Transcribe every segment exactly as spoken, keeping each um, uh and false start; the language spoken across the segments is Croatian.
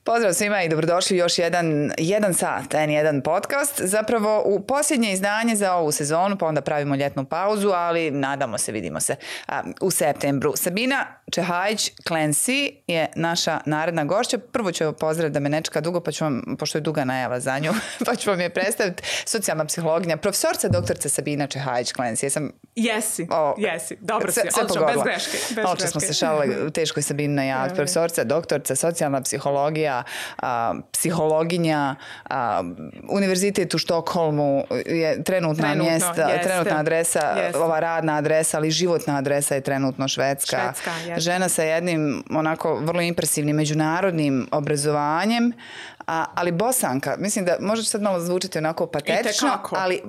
Pozdrav svima i dobrodošli u još jedan, jedan sat, en jedan podcast. Zapravo u posljednje izdanje za ovu sezonu, pa onda pravimo ljetnu pauzu, ali nadamo se, vidimo se a, u septembru. Sabina Čehajić Clancy je naša naredna gošća. Prvo ću pozdrav da me ne čeka dugo, pa ću vam, pošto je duga najava za nju, pa ću vam je predstaviti. Socijalna psihologinja, profesorca doktorca Sabina Čehajić Clancy. Jesam... Jesi, o, jesi. Dobro si, odlično, bez greške. Oče smo se šalili, teško je Sabina najaviti. Profesorca, doktorca, socijalna psihologija, a, psihologinja, a, univerzitet u Štokholmu je trenutna trenutno, mjesta, jeste, trenutna adresa, jeste. ova radna adresa, ali životna adresa je trenutno Švedska. Švedska žena sa jednim onako vrlo impresivnim međunarodnim obrazovanjem, a, ali Bosanka, mislim da može sad malo zvučiti onako patetično, ali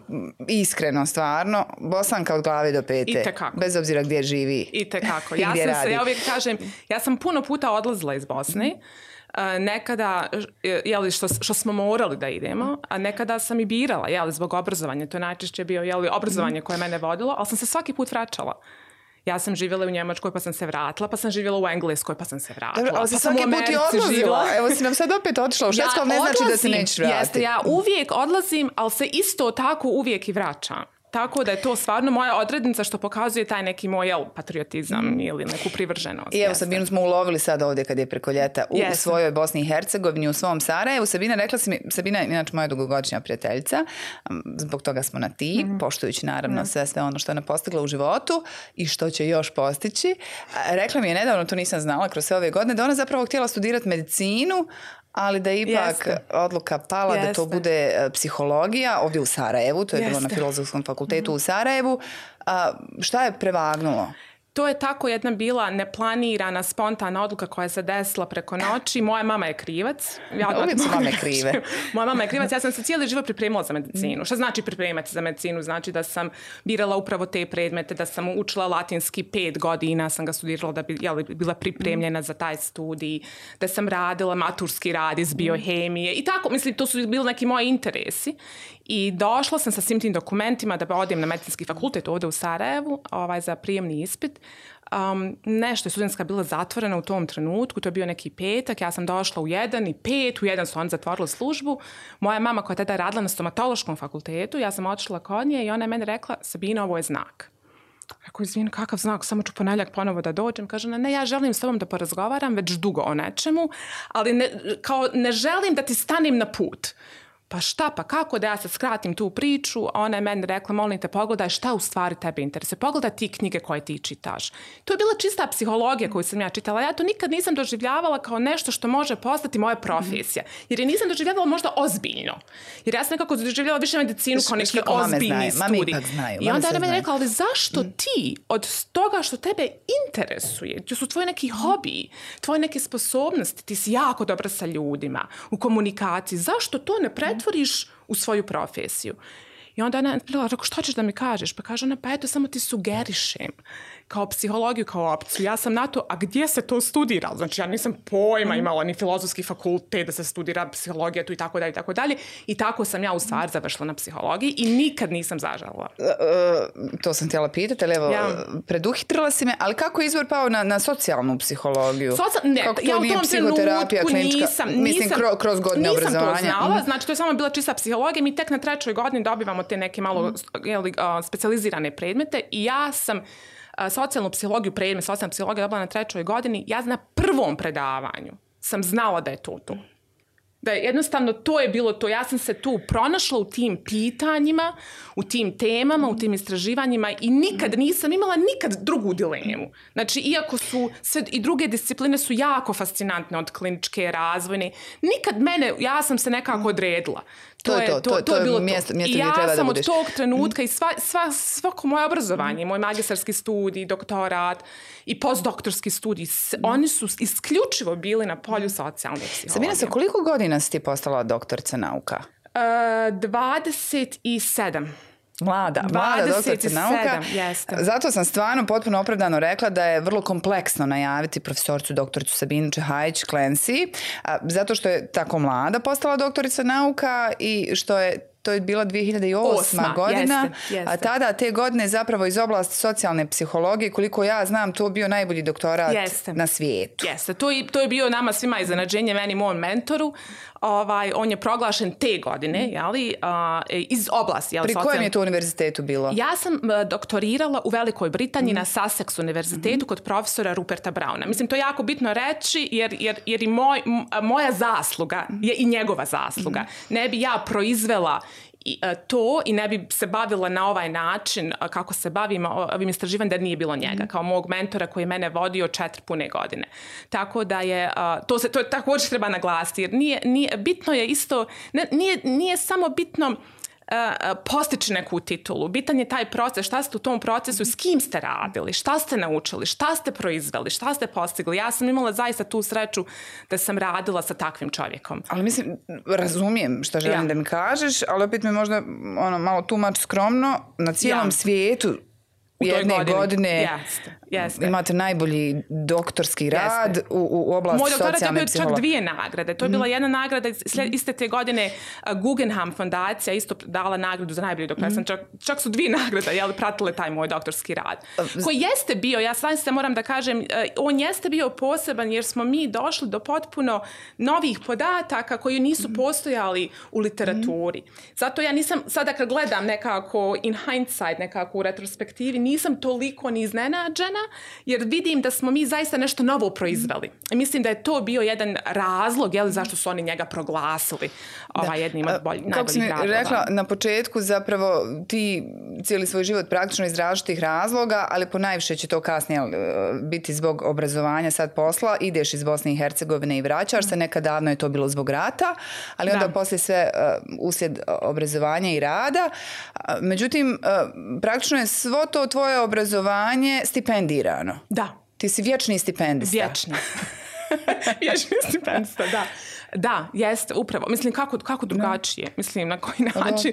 iskreno, stvarno, Bosanka od glave do pete, bez obzira gdje živi. I tekako. Ja sam radi. se, ja uvijek kažem, ja sam puno puta odlazila iz Bosne, Uh, nekada, jeli, što, što smo morali da idemo, a nekada sam i birala, jeli, zbog obrazovanja, to je najčešće bio, jeli, obrazovanje koje mene vodilo, ali sam se svaki put vraćala. Ja sam živjela u Njemačkoj pa sam se vratila, pa sam živjela u Engleskoj pa sam se vratila. Dobro, ali pa si svaki put i odlazila. Živjela. Evo si nam sad opet otišla u Švedsku, ja ali ne odlazim, znači da se nećeš vratiti. Jeste, ja uvijek odlazim, ali se isto tako uvijek i vraćam. Tako da je to stvarno moja odrednica što pokazuje taj neki moj jel, patriotizam mm. ili neku privrženost. I evo Sabinu smo ulovili sad ovdje kad je preko ljeta u yes. svojoj Bosni i Hercegovini, u svom Sarajevu. Sabina, rekla si mi, Sabina je inače moja dugogodišnja prijateljica, zbog toga smo na ti, mm. poštujući naravno mm. sve, sve ono što je ona postigla u životu i što će još postići. Rekla mi je nedavno, to nisam znala kroz sve ove godine, da ona zapravo htjela studirati medicinu, ali da ipak Jeste. odluka pala Jeste. da to bude psihologija ovdje u Sarajevu, to je Jeste. bilo na Filozofskom fakultetu mm. u Sarajevu. A, šta je prevagnulo? To je tako jedna bila neplanirana, spontana odluka koja se desila preko noći. Moja mama je krivac. Ja uvijek su mame krive. Moja mama je krivac. Ja sam se cijeli život pripremila za medicinu. Šta znači pripremati za medicinu? Znači da sam birala upravo te predmete, da sam učila latinski pet godina, sam ga studirala da bi jeli, bila pripremljena za taj studij, da sam radila maturski rad iz biohemije i tako. Mislim, to su bili neki moji interesi. I došla sam sa svim tim dokumentima da odem na medicinski fakultet ovdje u Sarajevu ovaj, za prijemni ispit. Um, nešto je studentska bila zatvorena u tom trenutku, to je bio neki petak, ja sam došla u jedan i pet, u jedan su oni zatvorili službu. Moja mama koja je tada radila na stomatološkom fakultetu, ja sam otišla kod nje i ona je meni rekla, Sabina, ovo je znak. Rekao, izvini, kakav znak, samo ću ponedjeljak ponovo da dođem. Kaže, ne, ja želim s tobom da porazgovaram već dugo o nečemu, ali ne, kao, ne želim da ti stanem na put. Pa šta, pa kako da ja sad skratim tu priču, a ona je meni rekla, molim te, pogledaj šta u stvari tebe interese, pogledaj ti knjige koje ti čitaš. To je bila čista psihologija koju sam ja čitala, ja to nikad nisam doživljavala kao nešto što može postati moja profesija, jer je nisam doživljavala možda ozbiljno, jer ja sam nekako doživljavala više medicinu kao neki ozbiljni studij. I onda ona meni rekla, ali zašto ti od toga što tebe interesuje, to su tvoji neki hobiji, tvoje neke sposobnosti, ti si jako dobra sa ljudima, u komunikaciji, zašto to ne pretvoriš otvoriš u svoju profesiju. I onda ona rekao, što ćeš da mi kažeš? Pa kaže ona, pa eto, samo ti sugerišem kao psihologiju, kao opciju. Ja sam na to, a gdje se to studira? Znači, ja nisam pojma imala ni filozofski fakultet da se studira psihologija tu i tako dalje i tako dalje. I tako sam ja u stvari završila na psihologiji i nikad nisam zažalila. Uh, to sam htjela pitati, ali evo, ja. preduhitrila si me, ali kako je izvor pao na, na socijalnu psihologiju? Socia- ne, kako to ja u nije tom psihoterapija klinička? Nisam, mislim, nisam, kroz, kroz godine nisam obrazovanja. Nisam to znala, mm. znači to je samo bila čista psihologija. Mi tek na trećoj godini dobivamo te neke malo mm. jeli, uh, specijalizirane predmete i ja sam socijalnu psihologiju, predmet socijalna psihologija dobila na trećoj godini, ja na prvom predavanju sam znala da je to to. Da je jednostavno to je bilo to. Ja sam se tu pronašla u tim pitanjima, u tim temama, u tim istraživanjima i nikad nisam imala nikad drugu dilemu. Znači, iako su sve i druge discipline su jako fascinantne od kliničke, razvojne, nikad mene, ja sam se nekako odredila. To, to je to, to, to, to je bilo mjesto, mjesto gdje treba da budeš. I ja sam od tog trenutka i sva, sva, svako moje obrazovanje, moj magistarski studij, doktorat i postdoktorski studij, oni su isključivo bili na polju socijalne psihologije. Sabina, sa koliko godina si ti postala doktorica nauka? Uh, dvadeset sedam. Mlada, mlada doktorica nauka. Jeste. Zato sam stvarno potpuno opravdano rekla da je vrlo kompleksno najaviti profesorcu doktoricu Sabinu Čehajić Clancy, zato što je tako mlada postala doktorica nauka i što je to je bila dvije hiljade osma Osma, godina, jeste, jeste. a tada te godine zapravo iz oblasti socijalne psihologije, koliko ja znam, to bio najbolji doktorat jeste. na svijetu. Jeste, to, to je bio nama svima iznenađenje, meni mom mentoru. Ovaj, on je proglašen te godine, jeli, uh, iz oblasti. Jeli, Pri kojem socijalne... je to univerzitetu bilo? Ja sam uh, doktorirala u Velikoj Britaniji mm. na Sussex univerzitetu mm. kod profesora Ruperta Browna. Mislim, to je jako bitno reći, jer, jer, jer i moj, moja zasluga je i njegova zasluga. Mm. Ne bi ja proizvela I, uh, to i ne bi se bavila na ovaj način uh, kako se bavim ovim istraživanjem da nije bilo njega, mm. kao mog mentora koji je mene vodio četiri pune godine. Tako da je, uh, to se to je također treba naglasiti, jer nije, nije, bitno je isto, ne, nije, nije samo bitno Uh, postići neku titulu. Bitan je taj proces, šta ste u tom procesu, s kim ste radili, šta ste naučili, šta ste proizveli, šta ste postigli. Ja sam imala zaista tu sreću da sam radila sa takvim čovjekom. Ali mislim, razumijem što želim ja. da mi kažeš, ali opet mi možda ono, malo too much skromno, na cijelom ja. svijetu u jedne godini. godine jeste, jeste. imate najbolji doktorski rad jeste. u, u oblasti Moj socijalne psihologije. Moj doktorat je bio čak dvije nagrade. To je bila mm. jedna nagrada, slijed, iste te godine uh, Guggenheim fondacija isto dala nagradu za najbolji doktorat. Mm. Čak, čak su dvije nagrade, jel, pratile taj moj doktorski rad. Koji jeste bio, ja sam se moram da kažem, uh, on jeste bio poseban jer smo mi došli do potpuno novih podataka koji nisu mm. postojali u literaturi. Mm. Zato ja nisam, sada kad gledam nekako in hindsight, nekako u retrospektivi, nisam toliko ni iznenađena, jer vidim da smo mi zaista nešto novo proizveli. I mislim da je to bio jedan razlog, jel, zašto su oni njega proglasili ovaj, jednim od bolj, najboljih radova. Kako si mi rekla na početku, zapravo ti cijeli svoj život praktično iz različitih razloga, ali po najviše će to kasnije biti zbog obrazovanja, sad posla, ideš iz Bosne i Hercegovine i vraćaš se, nekad davno je to bilo zbog rata, ali onda da. poslije sve uh, uslijed obrazovanja i rada. Uh, međutim, uh, praktično je svo to tvoje obrazovanje stipendirano. Da. Ti si vječni stipendista. Vječni. Vječni stipendista, da. Da, jeste, upravo. Mislim, kako, kako drugačije? No. Mislim, na koji način?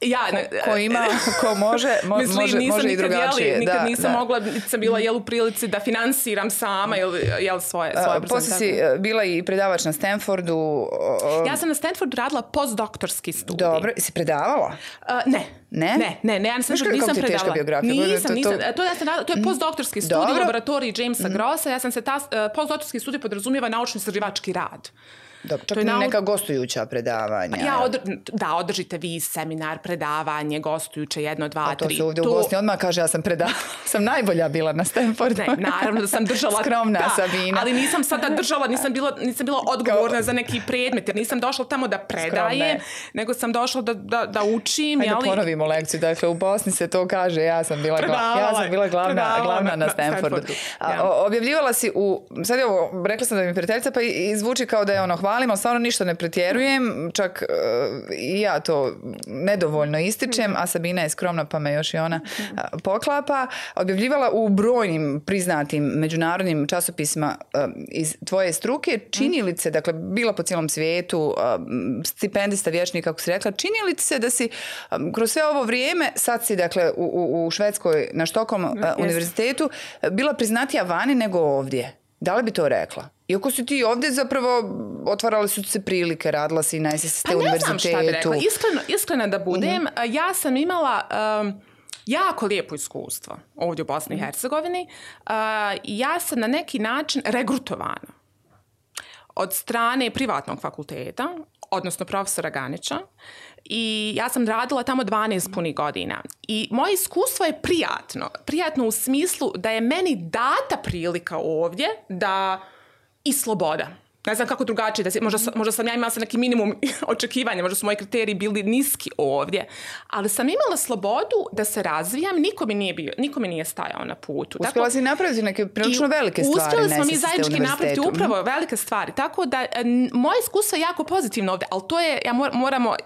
Ja, ko, ko ima, ko može, mo, mislim, može, može i drugačije. Jeli, nikad da, nisam da. mogla, sam bila jel, u prilici da finansiram sama jel, jel, svoje, svoje uh, Poslije si bila i predavač na Stanfordu. Uh, ja sam na Stanfordu radila postdoktorski studij. Dobro, si predavala? Uh, ne. Ne? Ne, ne, ne, ja nisam, nisam nisam predala. Teška biografija. Nisam, to, nisam. to... To, ja sam radila, to je postdoktorski studij u laboratoriji Jamesa mm. Grossa. Ja sam se ta, uh, postdoktorski studij podrazumijeva naučno-istraživački rad. Dobro, čak nau... neka gostujuća predavanja. Ja, odr... Da, održite vi seminar, predavanje, gostujuće, jedno, dva, A to tri. To se ovdje to... u Bosni odmah kaže, ja sam predavala, sam najbolja bila na Stanfordu. Ne, naravno da sam držala... Skromna da, Sabina. Ali nisam sada držala, nisam bila, nisam bila odgovorna Kao... za neki predmet, jer nisam došla tamo da predajem, nego sam došla da, da, da učim. Ajde, jeli... ponovimo lekciju. Dakle, u Bosni se to kaže, ja sam bila, gla... ja sam bila glavna, glavna na Stanfordu. Na Stanfordu. A, objavljivala si u... Sad je ovo, rekla sam da mi prijateljica, pa i zvuči kao da je ono hvalim, ali stvarno ništa ne pretjerujem, čak uh, i ja to nedovoljno ističem, a Sabina je skromna pa me još i ona uh, poklapa. Objavljivala u brojnim priznatim međunarodnim časopisima uh, iz tvoje struke. Čini li se, dakle, bila po cijelom svijetu, uh, stipendista vječni, kako si rekla, čini li se da si um, kroz sve ovo vrijeme, sad si, dakle, u, u, u Švedskoj na Štokholm uh, univerzitetu, bila priznatija vani nego ovdje? Da li bi to rekla? Iako si ti ovdje zapravo otvarale su se prilike, radila si na S S T univerzitetu. Pa ne znam šta bi rekla. Iskreno, iskreno da budem, mm-hmm. ja sam imala um, jako lijepo iskustvo ovdje u Bosni i Hercegovini. Uh, ja sam na neki način regrutovana od strane privatnog fakulteta, odnosno profesora Ganića. I ja sam radila tamo dvanaest punih godina. I moje iskustvo je prijatno. Prijatno u smislu da je meni data prilika ovdje da i sloboda. Ne znam kako drugačije, da se, možda, možda sam ja imala sam neki minimum očekivanja, možda su moji kriteriji bili niski ovdje, ali sam imala slobodu da se razvijam, niko mi nije, bio, niko mi nije stajao na putu. Uspjela si napraviti neke prilično velike stvari. Uspjeli smo mi zajednički napraviti upravo mm-hmm. velike stvari, tako da moje iskustvo je jako pozitivno ovdje, ali to je, ja mor, moramo uh,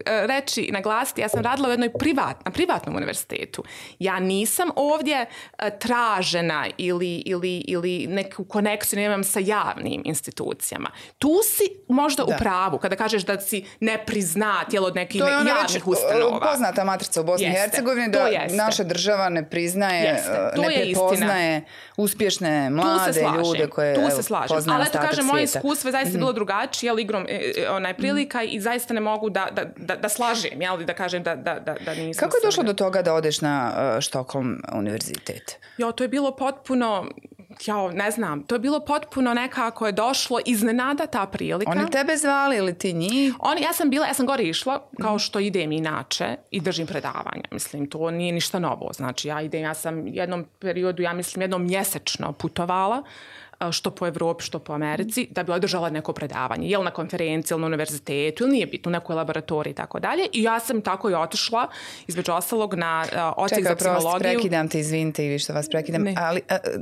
reći, naglasiti, ja sam radila u jednoj privat, na privatnom univerzitetu. Ja nisam ovdje uh, tražena ili, ili, ili neku konekciju nemam sa javnim institucijama. institucijama. Tu si možda da. u pravu kada kažeš da si ne priznat jel, od nekih javnih ustanova. To je poznata matrica u Bosni i Hercegovini da naša država ne priznaje, ne prepoznaje uspješne mlade ljude koje tu se slažem. poznaje ali ostatak svijeta. Ali to kažem, moje iskustvo je zaista mm-hmm. bilo drugačije, jel, igrom onaj prilika mm-hmm. i zaista ne mogu da, da, da, da slažem, jel, da kažem da, da, da, da nisam... Kako je došlo do toga da odeš na uh, Štokholm univerzitet? Jo, to je bilo potpuno... Ja, ne znam, to je bilo potpuno nekako je došlo iznenada ta prilika. Oni tebe zvali ili ti njih? Oni, ja sam bila, ja sam gore išla kao što idem inače i držim predavanja. Mislim, to nije ništa novo. Znači, ja idem, ja sam jednom periodu, ja mislim, jednom mjesečno putovala, što po Evropi, što po Americi, da bi održala neko predavanje. Jel na konferenciji, ili na univerzitetu, ili nije bitno, u nekoj laboratoriji i tako dalje. I ja sam tako i otišla, između ostalog, na uh, odsjek za psihologiju. Čekaj, prost, prekidam te, izvinite i vi što vas prekidam. Ne. Ali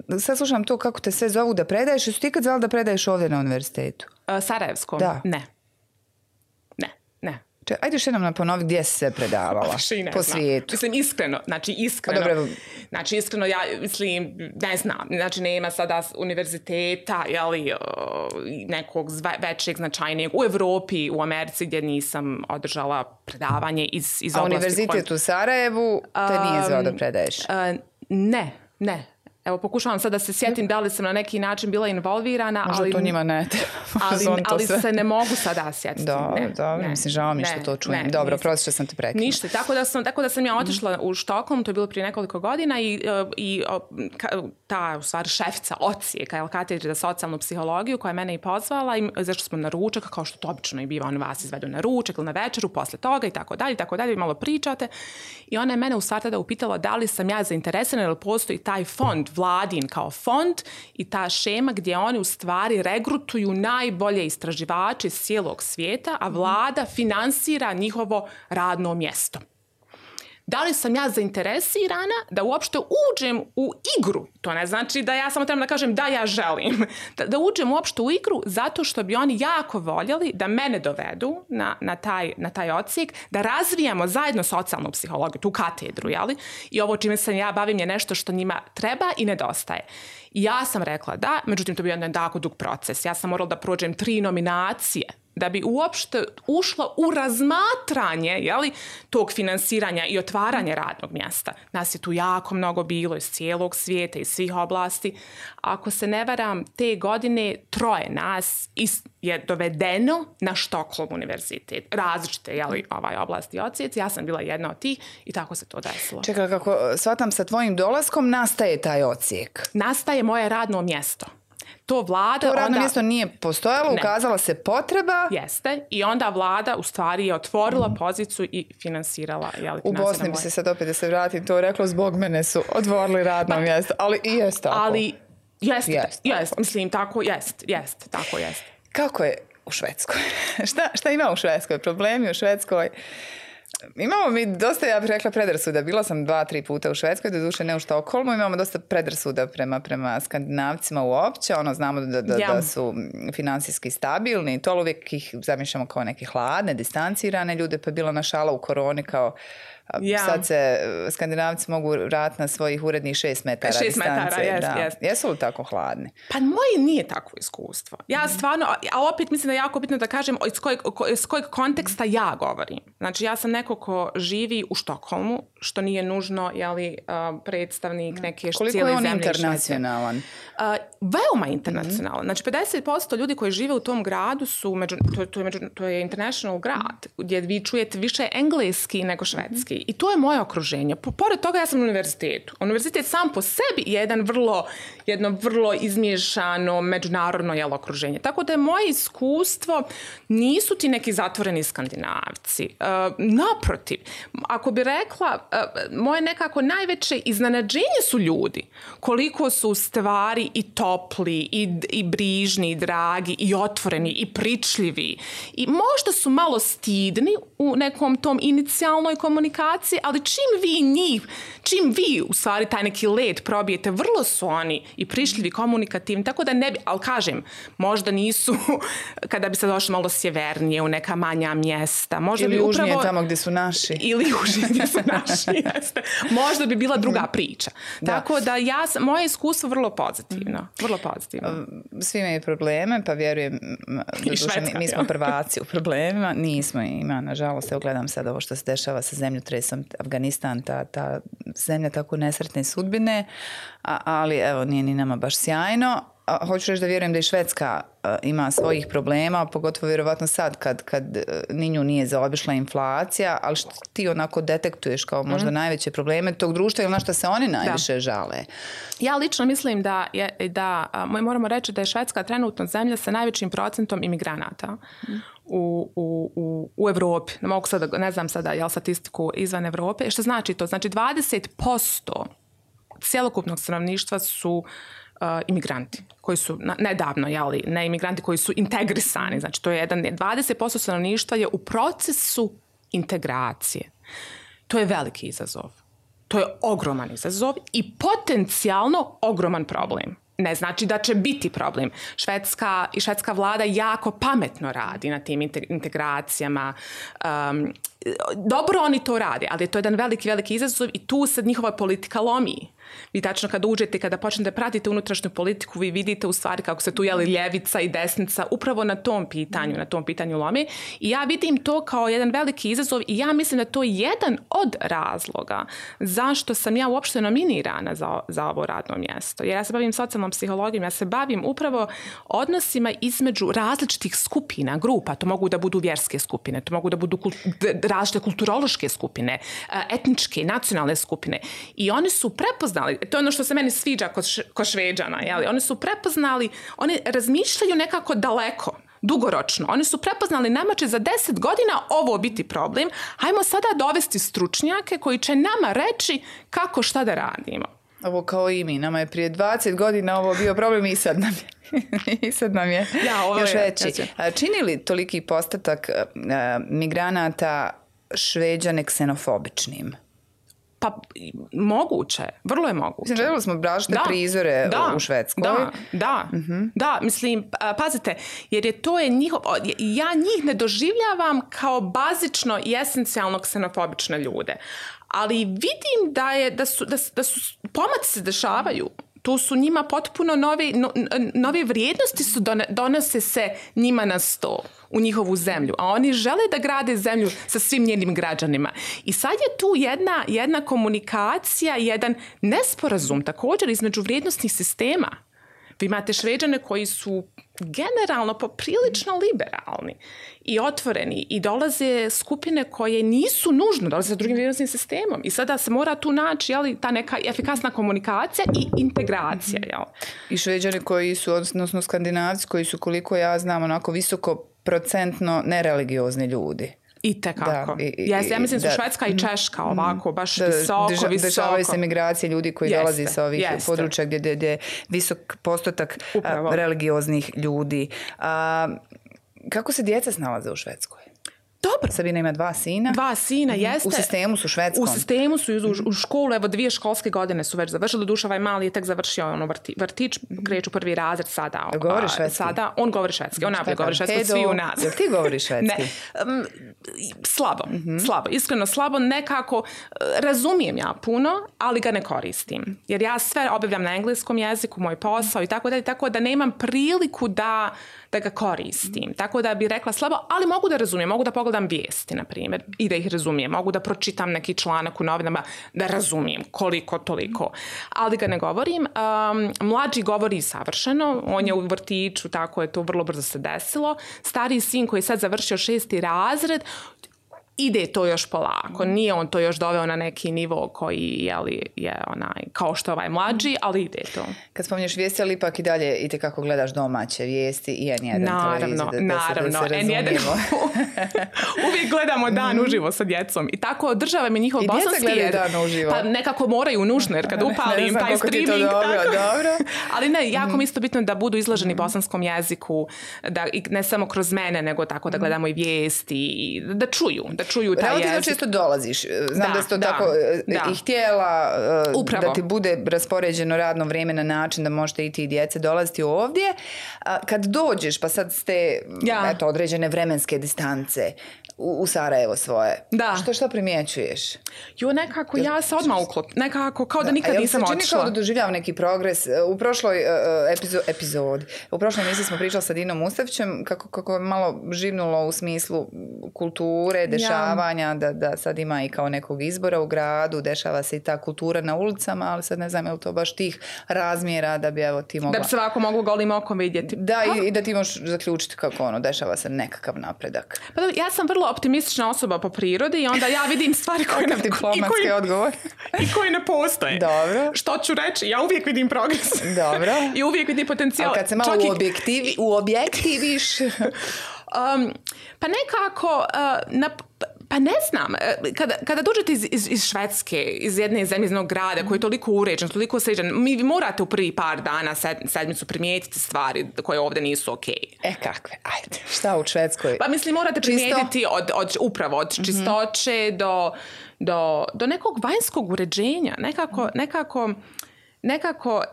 uh, sad slušam to kako te sve zovu da predaješ. Jesu ti kad zvali da predaješ ovdje na univerzitetu? Uh, Sarajevskom? Da. Ne. Ne, ne. Če, ajde još jednom naponovi gdje si se predavala po svijetu. Mislim, iskreno, znači iskreno, Dobro. znači iskreno ja mislim, ne znam, znači nema sada univerziteta, jeli, nekog većeg, značajnijeg u Evropi, u Americi gdje nisam održala predavanje iz, iz A oblasti. A univerzitet koji... u Sarajevu te nije zvao da predaješ? Um, ne, ne. Evo, pokušavam sad da se sjetim da li sam na neki način bila involvirana. Možda ali, to njima ne ali, ali se ne mogu sada sjetiti. Da, da, mislim, žao mi što to čujem. Ne, Dobro, prosto što sam te prekinula. Ništa, tako da sam, tako da sam ja otišla mm. u Štokholm, to je bilo prije nekoliko godina i, i ta, u stvari, šefica odsjeka, katedre za socijalnu psihologiju, koja je mene i pozvala, i zašto smo na ručak, kao što to obično i biva, on vas izvedu na ručak ili na večeru, posle toga i tako dalje, i tako dalje, malo pričate. I ona je mene u stvari tada upitala da li sam ja zainteresirana, jer postoji taj fond, vladin kao fond i ta šema gdje oni u stvari regrutuju najbolje istraživače iz cijelog svijeta, a vlada finansira njihovo radno mjesto. Da li sam ja zainteresirana da uopšte uđem u igru? To ne znači da ja samo trebam da kažem da ja želim. Da, da uđem uopšte u igru zato što bi oni jako voljeli da mene dovedu na, na, taj, na taj odsjek, da razvijamo zajedno socijalnu psihologiju, tu katedru, jeli? I ovo čime se ja bavim je nešto što njima treba i nedostaje. I ja sam rekla da, međutim to bi jedan tako dug proces. Ja sam morala da prođem tri nominacije da bi uopšte ušla u razmatranje, jeli, tog finansiranja i otvaranja radnog mjesta. Nas je tu jako mnogo bilo iz cijelog svijeta, iz svih oblasti. Ako se ne varam, te godine troje nas je dovedeno na Štokholm univerzitet. Različite, jeli, ovaj oblasti i odsjeci. Ja sam bila jedna od tih i tako se to desilo. Čekaj, kako shvatam, sa tvojim dolaskom nastaje taj odsjek? Nastaje moje radno mjesto. To vlada... To radno onda... mjesto nije postojalo, ne. Ukazala se potreba... Jeste. I onda vlada u stvari je otvorila mm. poziciju i finansirala... Jeli, u Bosni bi se sad opet da se vratim to reklo, zbog mene su otvorili radno pa, mjesto. Ali i jest tako. Ali jeste, jest, jest, mislim, tako jest, jest, tako jest. Kako je u Švedskoj? šta, šta ima u Švedskoj? Problemi u Švedskoj? Imamo mi dosta, ja bih rekla, predrasuda. Bila sam dva, tri puta u Švedskoj, doduše ne u Štokholmu. Imamo dosta predrasuda prema, prema Skandinavcima uopće. Ono, znamo da, da, ja. da su finansijski stabilni. To uvijek ih zamišljamo kao neke hladne, distancirane ljude. Pa je bila na šala u koroni kao... Ja. Sad se Skandinavci mogu vratiti na svojih urednih šest metara šest distance. Metara, jest, da. jest. Jesu li tako hladni? Pa moje nije takvo iskustvo. Ja stvarno, a opet mislim da je jako bitno da kažem iz kojeg, iz kojeg konteksta ja govorim. Znači ja sam neko ko živi u Štokholmu, što nije nužno, jeli, predstavnik neke koliko cijele zemlje. Koliko je on internacionalan? Uh, veoma internacionalan. Mm-hmm. Znači pedeset posto ljudi koji žive u tom gradu su, među, to, to, je, među, to je international grad, gdje vi čujete više engleski nego švedski. Mm-hmm. I to je moje okruženje. Pored toga ja sam na univerzitetu. Univerzitet sam po sebi je jedan vrlo, jedno vrlo izmiješano međunarodno jelo okruženje. Tako da je moje iskustvo nisu ti neki zatvoreni Skandinavci. Uh, naprotiv, ako bi rekla, uh, moje nekako najveće iznenađenje su ljudi. Koliko su u stvari i topli, i, i brižni, i dragi, i otvoreni, i pričljivi. I možda su malo stidni u nekom tom inicijalnoj komunikaciji, integracije, ali čim vi njih, čim vi u stvari taj neki led probijete, vrlo su oni i prišljivi, komunikativni, tako da ne bi, ali kažem, možda nisu, kada bi se došli malo sjevernije u neka manja mjesta. Možda ili bi upravo, južnije tamo gdje su naši. Ili južnije gdje su naši, jeste. Možda bi bila druga priča. Da. Tako da ja, moje iskustvo vrlo pozitivno. Vrlo pozitivno. Svi imaju probleme, pa vjerujem, duše, mi, mi smo prvaci u problemima, nismo ima, nažalost, evo gledam sad ovo što se dešava sa zemljotresom Afganistan, ta, ta zemlja tako nesretne sudbine, a, ali evo nije ni nama baš sjajno. A, hoću reći da vjerujem da i Švedska a, ima svojih problema, pogotovo vjerovatno sad kad, kad ni nju nije zaobišla inflacija, ali što ti onako detektuješ kao možda mm. najveće probleme tog društva ili na što se oni najviše da. žale? Ja lično mislim da, je, da a, moramo reći da je Švedska trenutno zemlja sa najvećim procentom imigranata. Mm. U, u, u, u Evropi. Ne mogu sada, ne znam sada jel statistiku izvan Evrope. Što znači to? Znači dvadeset posto cjelokupnog stanovništva su uh, imigranti koji su na, nedavno, jeli, ne imigranti koji su integrisani. Znači to je jedan, dvadeset posto stanovništva je u procesu integracije. To je veliki izazov. To je ogroman izazov i potencijalno ogroman problem. Ne znači da će biti problem. Švedska i švedska vlada jako pametno radi na tim integracijama. Um, dobro oni to rade, ali je to jedan veliki, veliki izazov i tu se njihova politika lomi. Vi tačno kada uđete, kada počnete pratiti unutrašnju politiku, vi vidite u stvari kako se tu jeli ljevica i desnica upravo na tom pitanju, na tom pitanju lomi. I ja vidim to kao jedan veliki izazov i ja mislim da to je jedan od razloga zašto sam ja uopšte nominirana za, za ovo radno mjesto. Jer ja se bavim socijalnom psihologijom, ja se bavim upravo odnosima između različitih skupina, grupa. To mogu da budu vjerske skupine, to mogu da budu kult, različite kulturološke skupine, etničke, nacionalne skupine. I oni su prepoznali, to je ono što se meni sviđa kod, š, kod Šveđana, jeli? Oni su prepoznali, oni razmišljaju nekako daleko, dugoročno. Oni su prepoznali, nama će za deset godina ovo biti problem, hajmo sada dovesti stručnjake koji će nama reći kako šta da radimo. Ovo kao i mi, nama je prije dvadeset godina ovo bio problem i sad nam je, i sad nam je ja, ovo još je, veći. Ja čini li toliki postotak uh, migranata Šveđane ksenofobičnim? Pa moguće, vrlo je moguće. Mislim, gledali smo brašne da, prizore da, u Švedskoj. Da, da, uh-huh. da, mislim, pazite, jer je to je njihov, ja njih ne doživljavam kao bazično i esencijalno ksenofobične ljude, ali vidim da, je, da, su, da, da su pomaci se dešavaju. Tu su njima potpuno novi, no, nove vrijednosti su don, donose se njima na sto u njihovu zemlju, a oni žele da grade zemlju sa svim njenim građanima. I sad je tu jedna, jedna komunikacija, jedan nesporazum također između vrijednostnih sistema. Vi imate Šveđane koji su generalno poprilično liberalni i otvoreni i dolaze skupine koje nisu nužno, dolaze sa drugim vrijednostnim sistemom. I sada se mora tu naći jeli, ta neka efikasna komunikacija i integracija. Jel? I Šveđani koji su, odnosno Skandinavci koji su, koliko ja znam, onako visoko procentno nereligiozni ljudi. I tekako. Da, i, i, ja, ja mislim da su Švedska i Češka ovako, baš da, visoko, deža, visoko. Dešavaju se migracije ljudi koji jeste, dolazi sa ovih jeste. područja gdje, gdje, gdje je visok postotak a, religioznih ljudi. A, kako se djeca snalaze u Švedskoj? Dobro. Sabina ima dva sina. Dva sina, jeste. U sistemu su švedskom. U sistemu su, u, u školu, evo dvije školske godine su već završili. Duša, ovaj mali je tek završio ono vrti, vrtić, kreću prvi razred sada. Govori švedski? Sada, on govori švedski, on najbolje govori švedski, svi u nas. Jel ti govoriš švedski? Ne, um, slabo, mm-hmm. slabo, iskreno slabo, nekako razumijem ja puno, ali ga ne koristim. Jer ja sve obavljam na engleskom jeziku, moj posao i tako da, tako da nemam priliku da da ga koristim. Tako da bi rekla slabo, ali mogu da razumijem, mogu da pogledam vijesti, na primjer, i da ih razumijem. Mogu da pročitam neki članak u novinama, da razumijem koliko, toliko. Ali ga ne govorim. Um, mlađi govori savršeno, on je u vrtiću, tako je to vrlo brzo se desilo. Stariji sin koji je sad završio šesti razred, ide to još polako. Nije on to još doveo na neki nivo koji jeli, je onaj, kao što ovaj mlađi, ali ide to. Kad spominješ vijesti, ali ipak i dalje i te kako gledaš domaće vijesti i en jedan naravno, televiziju. Da, naravno, da se, da se en jedan uvijek gledamo dan uživo sa djecom. I tako održava me njihov bosanski. I djeca gledaju dan uživo. Pa nekako moraju nužno, jer kad upalim taj streaming. Dobro, tako. dobro. Ali ne, jako mi isto bitno da budu izloženi bosanskom jeziku, da, i ne samo kroz mene, nego tako da gledamo i vijesti, da čuju, da čuju taj jezik. Relativno često dolaziš. Znam da, da si to da, tako da. i htjela Upravo. da ti bude raspoređeno radno vrijeme na način da možete i ti i djece dolaziti ovdje. Kad dođeš, pa sad ste ja. eto, određene vremenske distance u, u Sarajevo svoje. Da. Što što primjećuješ? Jo, nekako ja se odmah uklop. Nekako kao da, da nikad nisam otišla. Čini kao da doživljavam neki progres. U prošloj uh, epizo, epizodi, u prošloj emisiji smo pričali sa Dinom Mustavićem kako, kako je malo živnulo u smislu kulture, dešavanja, ja. da, da sad ima i kao nekog izbora u gradu, dešava se i ta kultura na ulicama, ali sad ne znam je li to baš tih razmjera da bi evo ti mogla... Da bi se ovako moglo golim okom vidjeti. Da, i, i da ti možeš zaključiti kako ono, dešava se nekakav napredak. Pa da, ja sam vrlo optimistična osoba po prirodi i onda ja vidim stvari koje ne, diplomatski i, odgovor. i koji ne postoje. Dobro. Što ću reći? Ja uvijek vidim progres. Dobro. I uvijek vidim potencijal. Ali kad se malo uobjektivi, uobjektiviš... um, pa nekako... Uh, na, Pa ne znam, kada, kada dođete iz, iz, iz Švedske, iz jedne zemlje, iz jednog grada koji je toliko uređen, toliko sređen, mi morate u prvi par dana sed, sedmicu primijetiti stvari koje ovdje nisu okej. Okay. E kakve? Ajde, šta u Švedskoj? Pa mislim, morate primijetiti od, od, upravo od mm-hmm. čistoće do, do, do nekog vanjskog uređenja. Nekako, nekako... Nekako,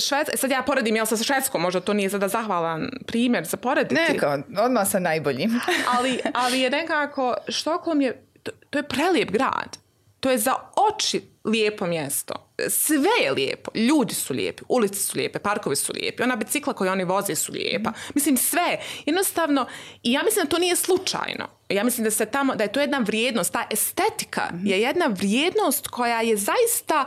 Švedska, sad ja poredim, jel sa Švedskom, možda to nije sada zahvalan primjer za porediti. Neka, odmah sa najboljim. ali, ali je nekako, Štokholm je, to, to je prelijep grad. To je za oči lijepo mjesto. Sve je lijepo. Ljudi su lijepi, ulice su lijepe, parkovi su lijepi, ona bicikla koju oni voze su lijepa. Mislim, sve. Jednostavno, i ja mislim da to nije slučajno. Ja mislim da se tamo, da je to jedna vrijednost, ta estetika je jedna vrijednost koja je zaista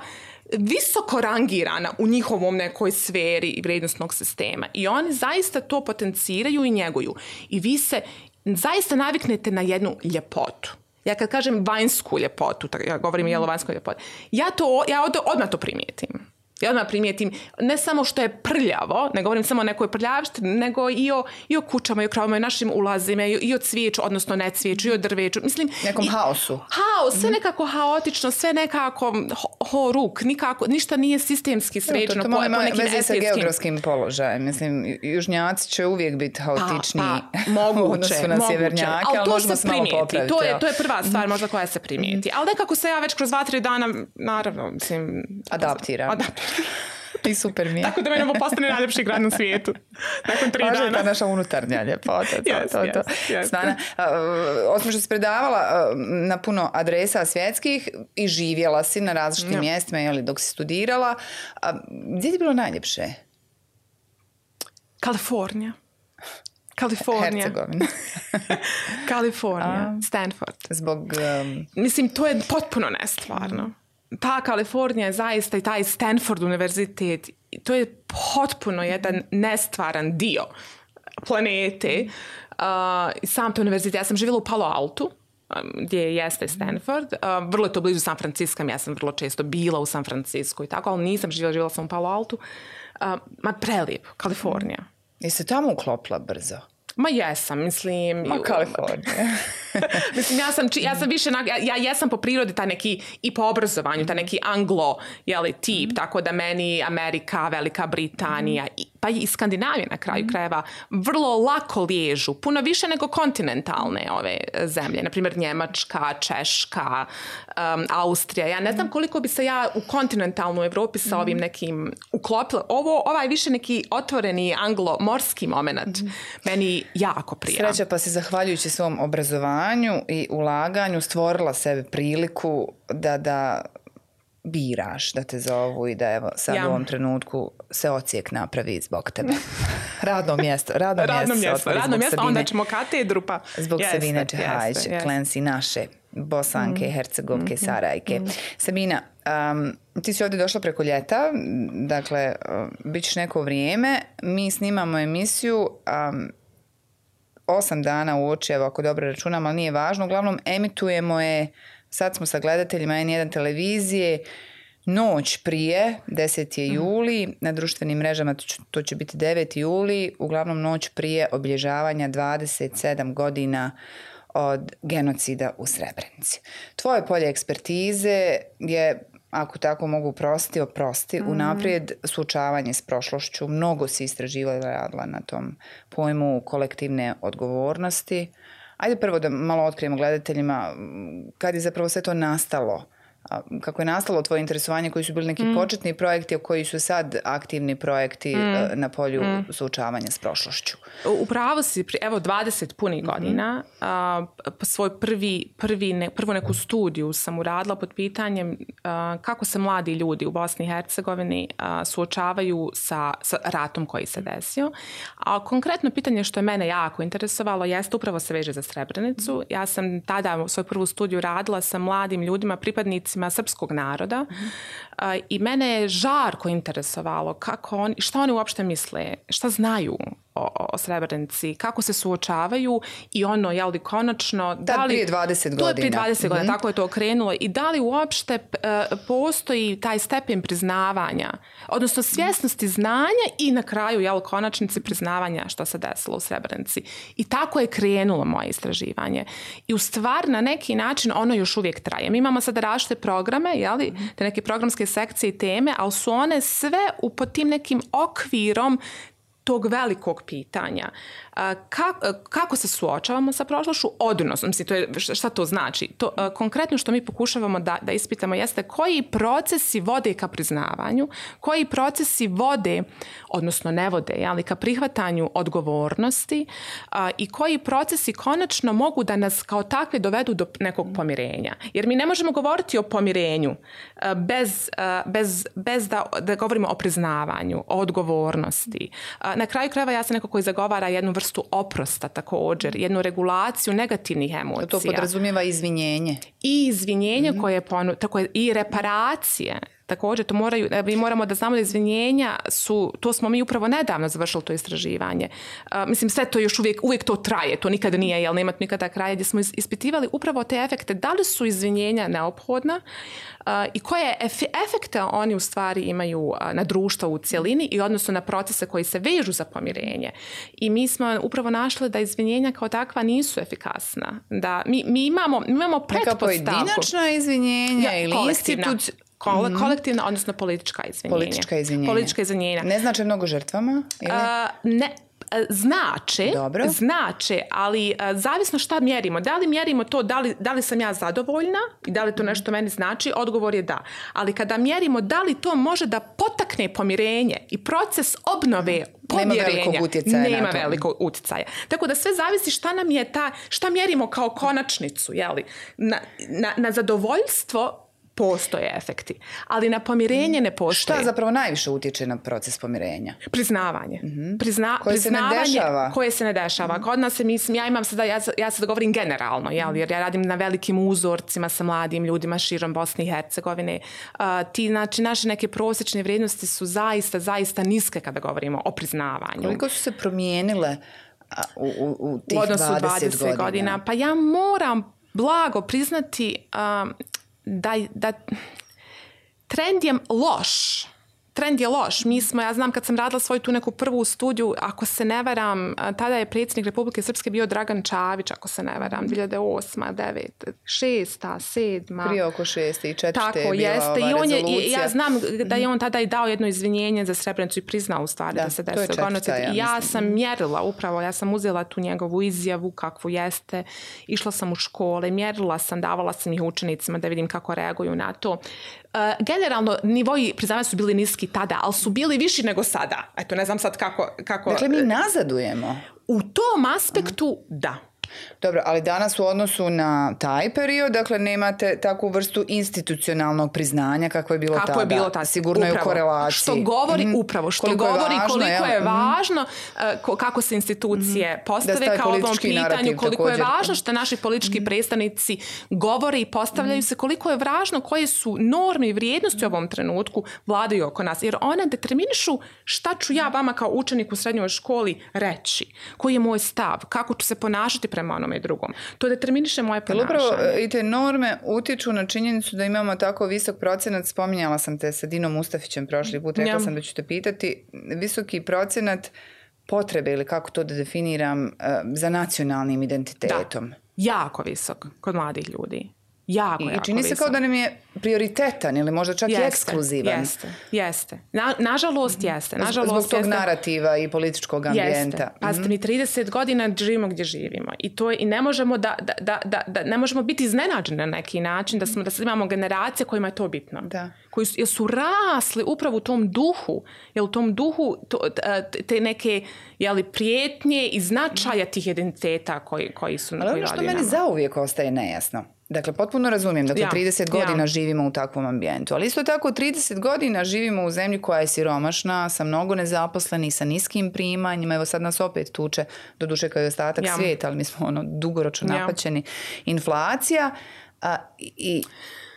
visoko rangirana u njihovom nekoj sferi i vrijednostnog sistema. I oni zaista to potenciraju i njeguju. I vi se zaista naviknete na jednu ljepotu. Ja kad kažem vanjsku ljepotu, ja govorim jelo vanjsku ljepotu, ja, to, ja od, odmah to primijetim. Ja odmah primijetim ne samo što je prljavo, ne govorim samo o nekoj prljavštini, nego i o, i o kućama, i o kravama, i o našim ulazima, i o, i o cvijeću, odnosno ne cvijeću, i o drveću. Mislim, nekom i, haosu. Haos, sve mm-hmm. nekako haotično, sve nekako ho, ho ruk, nikako, ništa nije sistemski sređeno. To, to, to po, po nekim veze sa geografskim položajem. Mislim, južnjaci će uvijek biti haotičniji pa, pa, moguće, u odnosu na sjevernjake, ali, ali možemo se malo popraviti. To je, to je prva stvar možda koja se primijeti. Mm-hmm. Ali nekako se ja već kroz dva, tri dana, naravno, mislim... Adaptiram. Adaptiram. I super mi je. Tako da meni ovo postane najljepši grad na svijetu. Nakon tri Važno dana. Važno je ta naša unutarnja ljepota. To, yes, to, to. Yes, yes. Svana, uh, osim što si predavala uh, na puno adresa svjetskih i živjela si na različitim no. mjestima, jeli, dok si studirala. Uh, gdje ti bilo najljepše? Kalifornija. Kalifornija. Hercegovina. Kalifornija. Stanford. Zbog... Um... Mislim, to je potpuno nestvarno. Mm. Ta Kalifornija je zaista i taj Stanford univerzitet, to je potpuno jedan nestvaran dio planete. Uh, sam to univerzitet, ja sam živjela u Palo Altu, um, gdje jeste Stanford. Uh, vrlo je to blizu San Francisco, ja sam vrlo često bila u San Francisco i tako, ali nisam živjela, živjela sam u Palo Altu. Uh, ma prelijep, Kalifornija. Jesi tamo uklopila brzo? Ma jesam, mislim... Ma Kalifornija. Mislim, ja sam, ja sam više... Ja, ja jesam po prirodi ta neki, i po obrazovanju, ta neki anglo, jeli, tip, mm. tako da meni Amerika, Velika Britanija, i, pa i Skandinavija na kraju mm. krajeva, vrlo lako liježu, puno više nego kontinentalne ove zemlje. Naprimjer, Njemačka, Češka, um, Austrija. Ja ne znam koliko bi se ja u kontinentalnu Evropi sa ovim nekim uklopila. Ovo, ovaj više neki otvoreni anglo-morski moment mm. meni jako prija. Sreća, pa si zahvaljujući svom obrazovanju i ulaganju stvorila sebi priliku da, da biraš, da te zovu i da evo sad ja. u ovom trenutku se ocijek napravi zbog tebe. Radno mjesto. Radno, radno mjesto. mjesto radno mjesto, Sabine, onda ćemo katedru pa... Zbog jeste, Sabine Čehajć, Klensi naše, Bosanke, mm. Hercegovke, mm. Sarajke. Mm. Sabina, um, ti si ovdje došla preko ljeta, dakle, uh, bit ćeš neko vrijeme. Mi snimamo emisiju... Um, osam dana uoči, evo ako dobro računam, ali nije važno. Uglavnom emitujemo je, sad smo sa gledateljima en jedan televizije, noć prije, deseti juli, mm. na društvenim mrežama to će biti deveti juli, uglavnom noć prije obilježavanja dvadeset sedam godina od genocida u Srebrenici. Tvoje polje ekspertize je, ako tako mogu oprostiti, oprosti, mm. unaprijed suočavanje s prošlošću. Mnogo si istraživala i radila na tom pojmu kolektivne odgovornosti, Ajde prvo da malo otkrijemo gledateljima kad je zapravo sve to nastalo. Kako je nastalo tvoje interesovanje, koji su bili neki mm. početni projekti, a koji su sad aktivni projekti mm. na polju mm. suočavanja s prošlošću? Upravo si, evo dvadeset punih mm-hmm. godina, a, svoj prvi, prvi ne, prvu neku studiju sam uradila pod pitanjem a, kako se mladi ljudi u Bosni i Hercegovini a, suočavaju sa, sa ratom koji se desio. A konkretno pitanje što je mene jako interesovalo jeste upravo se veže za Srebrenicu. Mm. Ja sam tada svoju prvu studiju radila sa mladim ljudima, pripadnicima srpskog naroda mm-hmm. uh, i mene je žarko interesovalo kako on, šta oni uopšte misle, šta znaju o, o Srebrenici, kako se suočavaju i ono, jel li konačno... Da, da li, prije dvadeset godina. To je prije dvadeset mm-hmm. godina, tako je to okrenulo. I da li uopšte uh, postoji taj stepen priznavanja, odnosno svjesnosti znanja i na kraju, jel, konačnici priznavanja što se desilo u Srebrenici. I tako je krenulo moje istraživanje. I u stvar, na neki način, ono još uvijek traje. Mi imamo sada različite programe, jel, mm-hmm. te neke programske sekcije i teme, ali su one sve u, pod tim nekim okvirom tog velikog pitanja. Kako, kako se suočavamo sa prošlošću? Odnosno, mislim, to je, šta to znači? To, konkretno što mi pokušavamo da, da ispitamo jeste koji procesi vode ka priznavanju, koji procesi vode, odnosno ne vode, ali ka prihvatanju odgovornosti a, i koji procesi konačno mogu da nas kao takve dovedu do nekog pomirenja. Jer mi ne možemo govoriti o pomirenju a, bez, a, bez, bez da, da govorimo o priznavanju, o odgovornosti. A, na kraju krajeva ja sam neko koji zagovara jednu vrstu oprosta također, jednu regulaciju negativnih emocija. To podrazumijeva izvinjenje. I izvinjenje mm-hmm. koje je ponu, tako je, i reparacije. Također, to moraju, mi moramo da znamo da izvinjenja su, to smo mi upravo nedavno završili to istraživanje. Uh, mislim, sve to još uvijek, uvijek to traje, to nikada nije, jel nema nikada kraja, gdje smo ispitivali upravo te efekte, da li su izvinjenja neophodna uh, i koje ef- efekte oni u stvari imaju uh, na društvo u cjelini i odnosno na procese koji se vežu za pomirenje. I mi smo upravo našli da izvinjenja kao takva nisu efikasna. Da mi, mi imamo, mi imamo pretpostavku. Neka pojedinačna izvinjenja ja, ili institucija. Kole, mm-hmm. kolektivna, odnosno politička izvinjenja. Politička izvinjenja. Politička izvinjenja. Ne znači mnogo žrtvama? Ili? Uh, ne, znače, Dobro. znače, ali uh, zavisno šta mjerimo. Da li mjerimo to, da li, da li sam ja zadovoljna i da li to nešto meni znači, odgovor je da. Ali kada mjerimo da li to može da potakne pomirenje i proces obnove pomirenja, nema velikog utjecaja. Nema velikog utjecaja. Tako da sve zavisi šta nam je ta, šta mjerimo kao konačnicu, jeli? Na, na, na zadovoljstvo postoje efekti, ali na pomirenje ne postoje. Šta zapravo najviše utječe na proces pomirenja? Priznavanje. Mm-hmm. Prizna, koje priznavanje se ne dešava. Koje se ne dešava. Mm-hmm. Kod nas se, mislim, ja imam sada, ja, ja sad govorim generalno, jel, jer ja radim na velikim uzorcima sa mladim ljudima širom Bosne i Hercegovine. Uh, ti, znači, naše neke prosječne vrijednosti su zaista, zaista niske kada govorimo o priznavanju. Koliko su se promijenile u, u, u tih u odnosu dvadeset, dvadeset godina? godina? Pa ja moram blago priznati um, Da, da trend je loš. Trend je loš. Mi smo, ja znam kad sam radila svoju tu neku prvu studiju, ako se ne varam, tada je predsjednik Republike Srpske bio Dragan Čavić, ako se ne varam, dvije hiljade osma, deveta, šesta, sedma. Prije oko šeste i četvrte tako, je bila jeste. ova I on je, rezolucija. ja znam da je on tada i dao jedno izvinjenje za Srebrenicu i priznao u stvari da, da se desilo genocid. I ja mislim. sam mjerila upravo, ja sam uzela tu njegovu izjavu kakvu jeste, išla sam u škole, mjerila sam, davala sam ih učenicima da vidim kako reaguju na to. Uh, generalno, nivoji priznavanja su bili niski tada, ali su bili viši nego sada. Eto, ne znam sad kako... kako... Dakle, mi nazadujemo. U tom aspektu, uh-huh. da. Dobro, ali danas u odnosu na taj period, dakle, nemate takvu vrstu institucionalnog priznanja kako je bilo kako tada. Je bilo tada. Sigurno upravo. Je u korelaciji. Što govori mm-hmm. upravo, što koliko govori je važno, koliko je važno, uh, kako se institucije mm-hmm. postave kao ovom pitanju, koliko također. Je važno što naši politički mm-hmm. predstavnici govore i postavljaju mm-hmm. se, koliko je važno koje su norme i vrijednosti u ovom trenutku vladaju oko nas. Jer one determinišu šta ću ja vama kao učenik u srednjoj školi reći, koji je moj stav, kako ću se ponašati prema onome i drugom. To determiniše moje ponašanje. Upravo i te norme utječu na činjenicu da imamo tako visok procenat, spominjala sam te sa Dinom Mustafićem prošli put, rekla ja. sam da ću te pitati, visoki procenat potrebe ili kako to da definiram za nacionalnim identitetom. Da, jako visok kod mladih ljudi. Jako, I jako čini se kao da nam je prioritetan ili možda čak jeste, i ekskluzivan. Jeste, jeste. Na, nažalost jeste. Nažalost, Zbog tog jeste. narativa i političkog ambijenta. Jeste. Pazite, mi trideset godina živimo gdje živimo. I, to je, i ne možemo da, da, da, da, da ne možemo biti iznenađeni na neki način da, smo, da imamo generacije kojima je to bitno. Da. Koji su, jer su rasli upravo u tom duhu. Jer u tom duhu to, te neke jeli, prijetnje i značaja tih identiteta koji, koji su ali ono što meni zauvijek ostaje nejasno. Dakle, potpuno razumijem. Dakle, ja, trideset godina ja. živimo u takvom ambijentu. Ali isto tako, trideset godina živimo u zemlji koja je siromašna, sa mnogo nezaposlenih, sa niskim primanjima. Evo sad nas opet tuče, doduše kao i ostatak ja. svijeta, ali mi smo ono dugoročno ja. napaćeni. Inflacija. A, i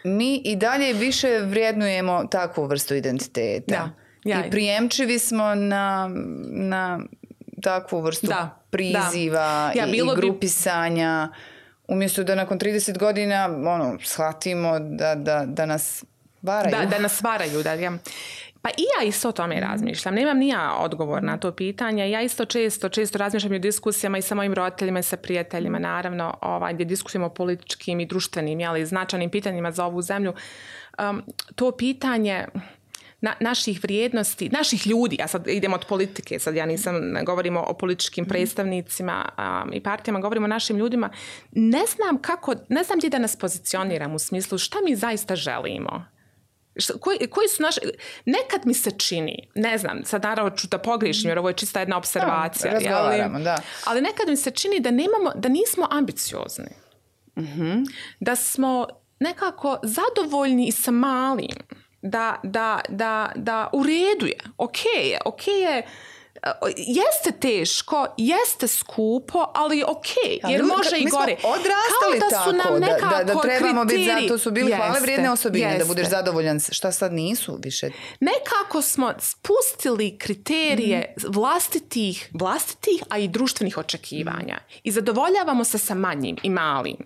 mi i dalje više vrijednujemo takvu vrstu identiteta. Ja. Ja. I prijemčivi smo na, na takvu vrstu da. priziva da. Ja, i, i grupisanja. Umjesto da nakon trideset godina ono, shvatimo da, da, da nas varaju. Da, da nas varaju. Da, ja. Pa i ja isto o tome razmišljam. Nemam ni ja odgovor na to pitanje. Ja isto često, često razmišljam i o diskusijama i sa mojim roditeljima i sa prijateljima, naravno, ovaj, gdje diskutujemo o političkim i društvenim, jeli, značajnim pitanjima za ovu zemlju. Um, to pitanje na, naših vrijednosti, naših ljudi, ja sad idem od politike, sad ja nisam, govorimo o političkim predstavnicima um, i partijama, govorimo o našim ljudima, ne znam kako, ne znam gdje da nas pozicioniram u smislu šta mi zaista želimo. Koji, koji su naši, nekad mi se čini, ne znam, sad naravno ću da pogriješim jer ovo je čista jedna observacija, da, razgovaramo, da. Ali nekad mi se čini da nemamo, da nismo ambiciozni, mm-hmm. da smo nekako zadovoljni i sa malim, da, da, da, da u redu je, ok je, ok je, jeste teško, jeste skupo, ali ok, jer ali, može i gore. Mi smo odrastali da su tako, nam da, da, da trebamo kriteriji. biti, zato su bili jeste, hvale vrijedne osobine, jeste. Da budeš zadovoljan, šta sad nisu više. Nekako smo spustili kriterije mm. vlastitih, vlastitih, a i društvenih očekivanja. Mm. I zadovoljavamo se sa manjim i malim.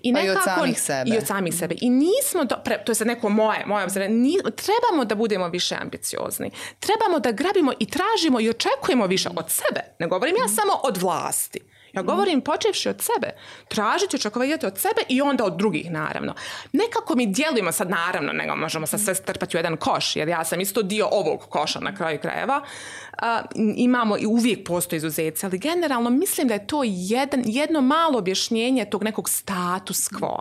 I pa nekako, i od samih sebe. I od samih sebe. I nismo, do, pre, to je sad neko moje, moje obziranje, trebamo da budemo više ambiciozni. Trebamo da grabimo i tražimo i očekujemo više od sebe. Ne govorim ja samo od vlasti. Ja govorim počevši od sebe. Tražiti, očekivati od sebe i onda od drugih, naravno. Nekako mi dijelimo sad, naravno, nego možemo sad sve strpati u jedan koš, jer ja sam isto dio ovog koša na kraju krajeva. Uh, imamo i uvijek postoji izuzeci, ali generalno mislim da je to jedan, jedno malo objašnjenje tog nekog status quo.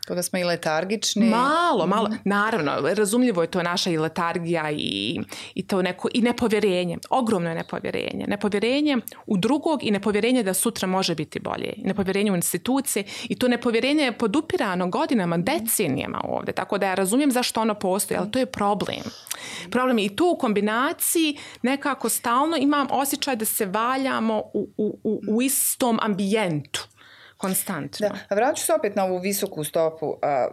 Kao da smo i letargični. Malo, malo. Naravno, razumljivo je to naša i letargija i, i to neko, i nepovjerenje. Ogromno je nepovjerenje. Nepovjerenje u drugog i nepovjerenje da sutra može biti bolje. Nepovjerenje u institucije i to nepovjerenje je podupirano godinama, decenijama ovdje. Tako da ja razumijem zašto ono postoji, ali to je problem. Problem je i tu u kombinaciji nekako stalno imam osjećaj da se valjamo u, u, u, u istom ambijentu. Konstantno. Da, vraću se opet na ovu visoku stopu a,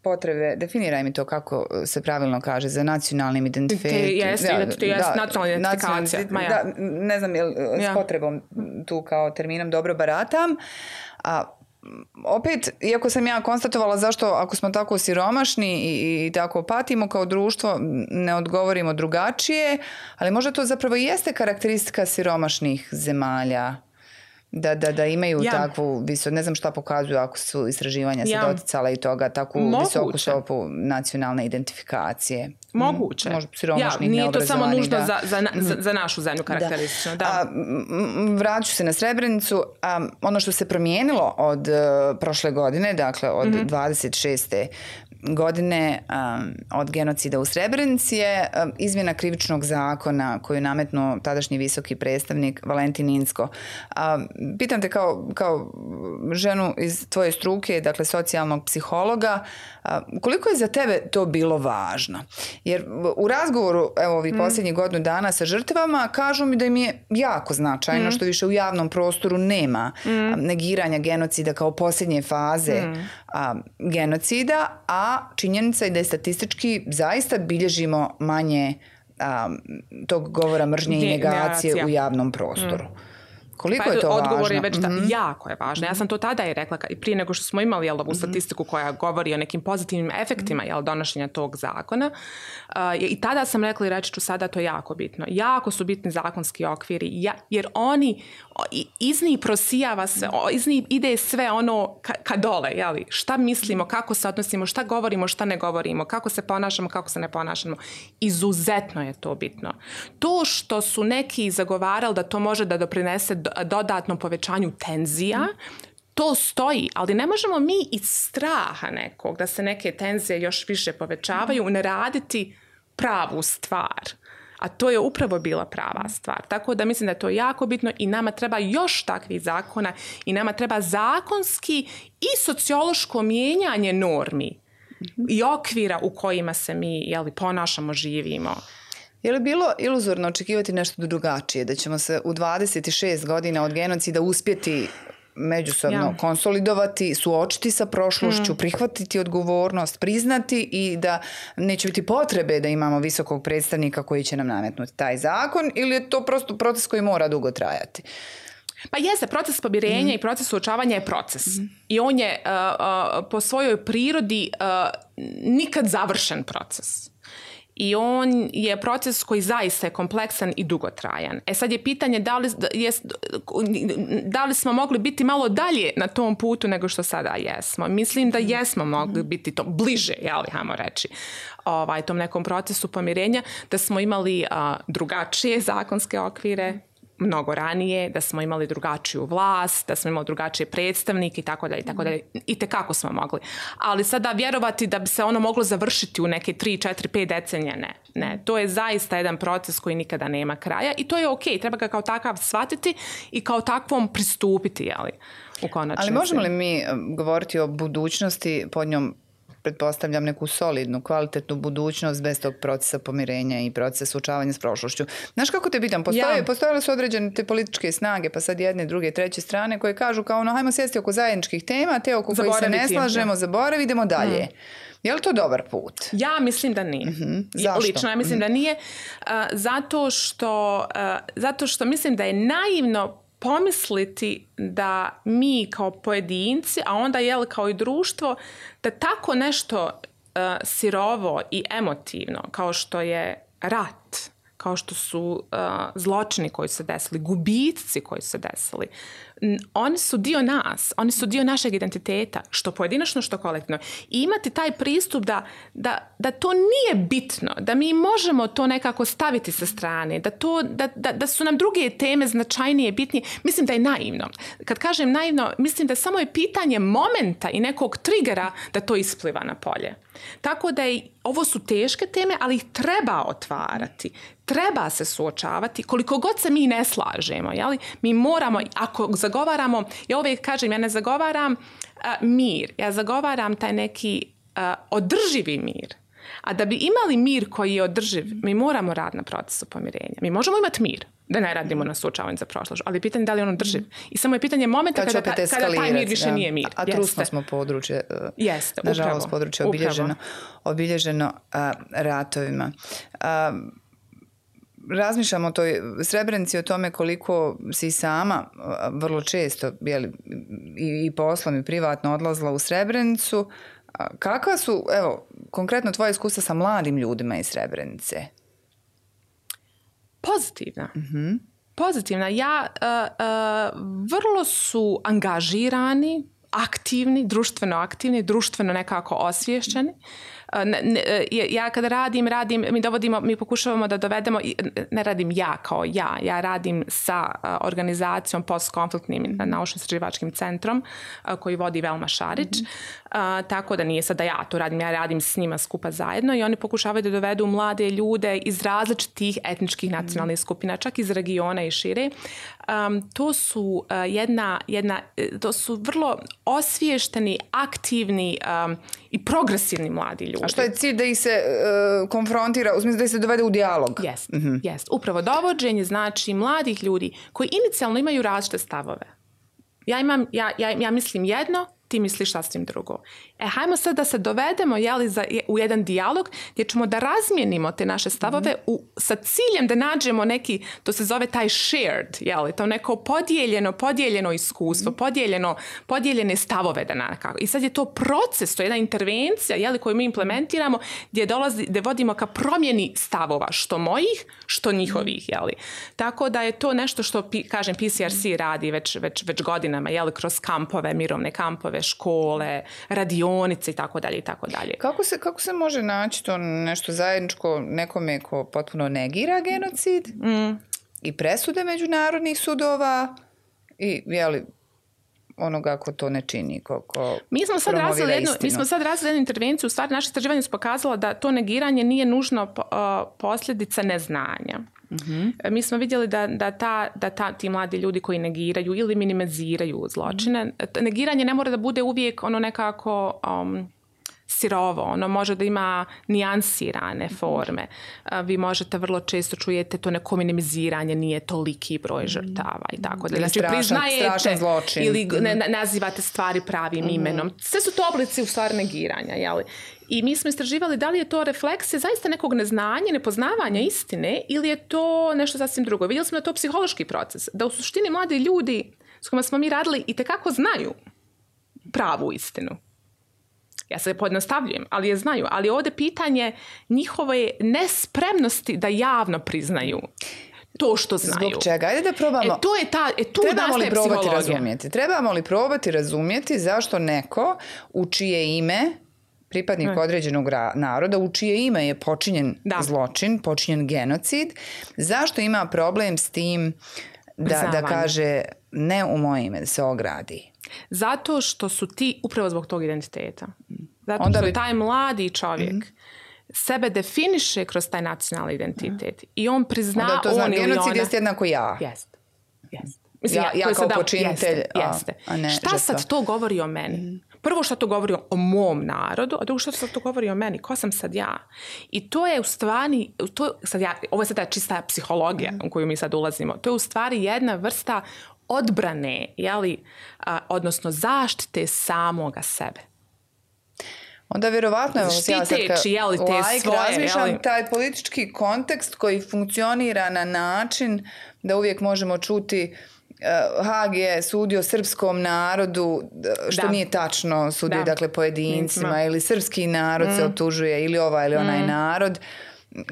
potrebe, definiraj mi to kako se pravilno kaže, za nacionalnim identifikacijom. Jeste, da, jest nacionalna identifikacija. Da, ne znam je li ja. s potrebom tu kao terminom dobro baratam. A opet, iako sam ja konstatovala zašto ako smo tako siromašni i, i tako patimo kao društvo, ne odgovorimo drugačije, ali možda to zapravo jeste karakteristika siromašnih zemalja. Da, da, da imaju ja. takvu visok, ne znam šta pokazuju ako su istraživanja se ja. doticala i toga, takvu Moguće. visoku stopu nacionalne identifikacije. Moguće. Možda siromašnih, ja, nije to samo nužno da. za, za, za, za našu zemlju karakteristično. Da. Da. Vraću se na Srebrenicu. A, ono što se promijenilo od uh, prošle godine, dakle od mm-hmm. dvadeset šeste godine um, od genocida u Srebrenici je um, izmjena krivičnog zakona koju je nametnuo tadašnji visoki predstavnik Valentin Inzko. Um, pitam te kao, kao ženu iz tvoje struke, dakle socijalnog psihologa, um, koliko je za tebe to bilo važno? Jer u razgovoru evo ovih mm. posljednjih godinu dana sa žrtvama kažu mi da im je jako značajno mm. što više u javnom prostoru nema mm. negiranja genocida kao posljednje faze mm. a, genocida, a činjenica je da je statistički zaista bilježimo manje a, tog govora mržnje i negacije u javnom prostoru. Mm. Koliko pa je to odgovor važno? Je već ta, mm-hmm. jako je važno. Ja sam to tada i rekla, prije nego što smo imali jel, ovu mm-hmm. statistiku koja govori o nekim pozitivnim efektima jel, donošenja tog zakona. Uh, I tada sam rekla i reći ću sada to je jako bitno. Jako su bitni zakonski okviri, ja, jer oni iz njih prosijava sve, iz njih ide sve ono ka, ka dole. Jel? Šta mislimo, kako se odnosimo, šta govorimo, šta ne govorimo, kako se ponašamo, kako se ne ponašamo. Izuzetno je to bitno. To što su neki zagovarali da to može da doprinese dodatnom povećanju tenzija, to stoji, ali ne možemo mi iz straha nekog da se neke tenzije još više povećavaju ne raditi pravu stvar. A to je upravo bila prava stvar. Tako da mislim da je to jako bitno i nama treba još takvih zakona i nama treba zakonski i sociološko mijenjanje normi i okvira u kojima se mi jeli, ponašamo, živimo. Je li bilo iluzorno očekivati nešto drugačije, da ćemo se u dvadeset šest godina od genocida uspjeti međusobno ja. konsolidovati, suočiti sa prošlošću, mm. prihvatiti odgovornost, priznati i da neće biti potrebe da imamo visokog predstavnika koji će nam nametnuti taj zakon, ili je to prosto proces koji mora dugo trajati? Pa jeste, proces pomirenja mm. i proces suočavanja je proces. Mm. I on je uh, uh, po svojoj prirodi uh, nikad završen proces. I on je proces koji zaista je kompleksan i dugotrajan. E sad je pitanje da li, je, da li smo mogli biti malo dalje na tom putu nego što sada jesmo. Mislim da jesmo mogli biti to bliže, jeli, hajmo reći, ovaj, tom nekom procesu pomirenja, da smo imali a, drugačije zakonske okvire, mnogo ranije, da smo imali drugačiju vlast, da smo imali drugačije predstavnike i tako dalje i tako dalje. I tekako smo mogli. Ali sada vjerovati da bi se ono moglo završiti u neke tri, četiri, pet decenije, ne. Ne, to je zaista jedan proces koji nikada nema kraja i to je okej, treba ga kao takav shvatiti i kao takvom pristupiti, jeli, u konačnici. Ali možemo li mi govoriti o budućnosti, pod njom pretpostavljam neku solidnu, kvalitetnu budućnost bez tog procesa pomirenja i procesa suočavanja s prošlošću. Znaš kako te pitam, postoje, ja. postojale su određene te političke snage, pa sad jedne, druge, treće strane koje kažu kao ono, hajmo sjesti oko zajedničkih tema, te oko koji se ne slažemo, ja. zaboravi, idemo dalje. Mm. Je li to dobar put? Ja mislim da nije. Mm-hmm. Zašto? Lično ja mislim mm-hmm. da nije. Uh, zato, što, uh, zato što mislim da je naivno pomisliti da mi kao pojedinci, a onda jel kao i društvo, da tako nešto uh, sirovo i emotivno kao što je rat, kao što su uh, zločini koji su se desili, gubici koji su se desili, oni su dio nas, oni su dio našeg identiteta, što pojedinačno, što kolektivno. I imati taj pristup da, da, da to nije bitno, da mi možemo to nekako staviti sa strane, da, to, da, da, da su nam druge teme značajnije, bitnije, mislim da je naivno. Kad kažem naivno, mislim da samo je pitanje momenta i nekog trigera da to ispliva na polje. Tako da je, ovo su teške teme, ali ih treba otvarati. Treba se suočavati, koliko god se mi ne slažemo, jeli? Mi moramo, ako zagovaramo, ja uvijek kažem, ja ne zagovaram uh, mir, ja zagovaram taj neki uh, održivi mir. A da bi imali mir koji je održiv, mi moramo raditi na procesu pomirenja. Mi možemo imati mir, da ne radimo na suočavanju za prošlost, ali pitanje je da li on održiv. I samo je pitanje momenta kada, ta, kada taj mir više da. nije mir. A, a trusno smo područje, uh, Jeste, nažalost područje obilježeno, obilježeno uh, ratovima. Uh, Razmišljam o toj Srebrenici, o tome koliko si sama vrlo često jeli, i, i poslom i privatno odlazila u Srebrenicu. Kakva su, evo, konkretno tvoje iskustva sa mladim ljudima iz Srebrenice? Pozitivna. Mm-hmm. Pozitivna. Ja, uh, uh, vrlo su angažirani, aktivni, društveno aktivni, društveno nekako osviješćeni. Ne, ne, ja kada radim, radim, mi dovodimo, mi pokušavamo da dovedemo, ne radim ja kao ja, ja radim sa organizacijom postkonfliktnim naučno-istraživačkim centrom koji vodi Velma Šarić, mm-hmm. uh, tako da nije sad da ja to radim, ja radim s njima skupa zajedno i oni pokušavaju da dovedu mlade ljude iz različitih etničkih nacionalnih mm-hmm. skupina, čak iz regiona i šire. Um, to su uh, jedna, jedna, to su vrlo osviješteni, aktivni um, i progresivni mladi ljudi. A što je cilj da ih se uh, konfrontira, u smislu da ih se dovede u dijalog? Jest, mm-hmm. jest. Upravo dovođenje znači mladih ljudi koji inicijalno imaju različite stavove. Ja imam, ja, ja, ja mislim jedno, ti ti misliš sasvim drugo. E, hajmo sad da se dovedemo jeli, za, u jedan dijalog gdje ćemo da razmijenimo te naše stavove mm. u, sa ciljem da nađemo neki, to se zove taj shared, jeli, to neko podijeljeno, podijeljeno iskustvo, mm. podijeljeno, podijeljene stavove da nekako. I sad je to proces, to je jedna intervencija jeli, koju mi implementiramo gdje, dolazi, gdje vodimo ka promjeni stavova, što mojih, što njihovih. Jeli. Tako da je to nešto što, kažem, P C R C radi već, već, već godinama, jeli, kroz kampove, mirovne kampove, škole, radionice i tako dalje i tako dalje. Kako se, kako se može naći to nešto zajedničko nekome ko potpuno negira genocid mm. i presude međunarodnih sudova i, jeli, onoga ko to ne čini, ko, ko mi smo sad razvili jednu, mi smo sad razvili jednu intervenciju, u stvari naše istraživanje su pokazalo da to negiranje nije nužno uh, posljedica neznanja. Mm-hmm. Mi smo vidjeli da, da, ta, da ta, ti mladi ljudi koji negiraju ili minimiziraju zločine, mm-hmm. negiranje ne mora da bude uvijek ono nekako um, sirovo, ono može da ima nijansirane forme. Vi možete vrlo često čujete to neko minimiziranje, nije toliki broj žrtava i tako da. Znači priznajete ili ne, nazivate stvari pravim mm-hmm. imenom. Sve su to oblici u stvari negiranja, jeli? I mi smo istraživali da li je to refleksija zaista nekog neznanja, nepoznavanja istine ili je to nešto sasvim drugo. Vidjeli smo da je to psihološki proces, da u suštini mladi ljudi s kojima smo mi radili itekako znaju pravu istinu. Ja se pojednostavljujem, ali je znaju. Ali ovdje pitanje njihove nespremnosti da javno priznaju to što znaju. Zbog čega? Ajde da probamo. E, to je ta, e, tu Trebamo li probati psihologija. razumjeti? Trebamo li probati razumjeti zašto neko u čije ime pripadnik ne. određenog naroda, u čije ime je počinjen da. zločin, počinjen genocid, zašto ima problem s tim da, da kaže ne u moje ime, da se ogradi? Zato što su ti upravo zbog tog identiteta. Zato Onda što bi... taj mladi čovjek mm-hmm. sebe definiše kroz taj nacionalni identitet mm. i on prizna Onda to on ili ona. Genocid jest jednako ja. Jest. Jest. Mislim, ja, ja kao počinitelj. Jeste, jeste. A, a ne, šta žrtva. Sad to govori o meni? Mm. Prvo što to govori o mom narodu, a drugo što sad to govori o meni. Ko sam sad ja? I to je u stvari, to, sad ja, ovo je sada čista psihologija mm. u koju mi sad ulazimo. To je u stvari jedna vrsta odbrane, jeli, a, odnosno zaštite samoga sebe. Onda vjerovatno je štiteći, ja jeli, te like, svoje, razmišljam jeli? Taj politički kontekst koji funkcionira na način da uvijek možemo čuti uh, Haag je sudio srpskom narodu, što da. nije tačno, sudio da. dakle pojedincima mm. ili srpski narod mm. se optužuje ili ovaj ili onaj mm. narod.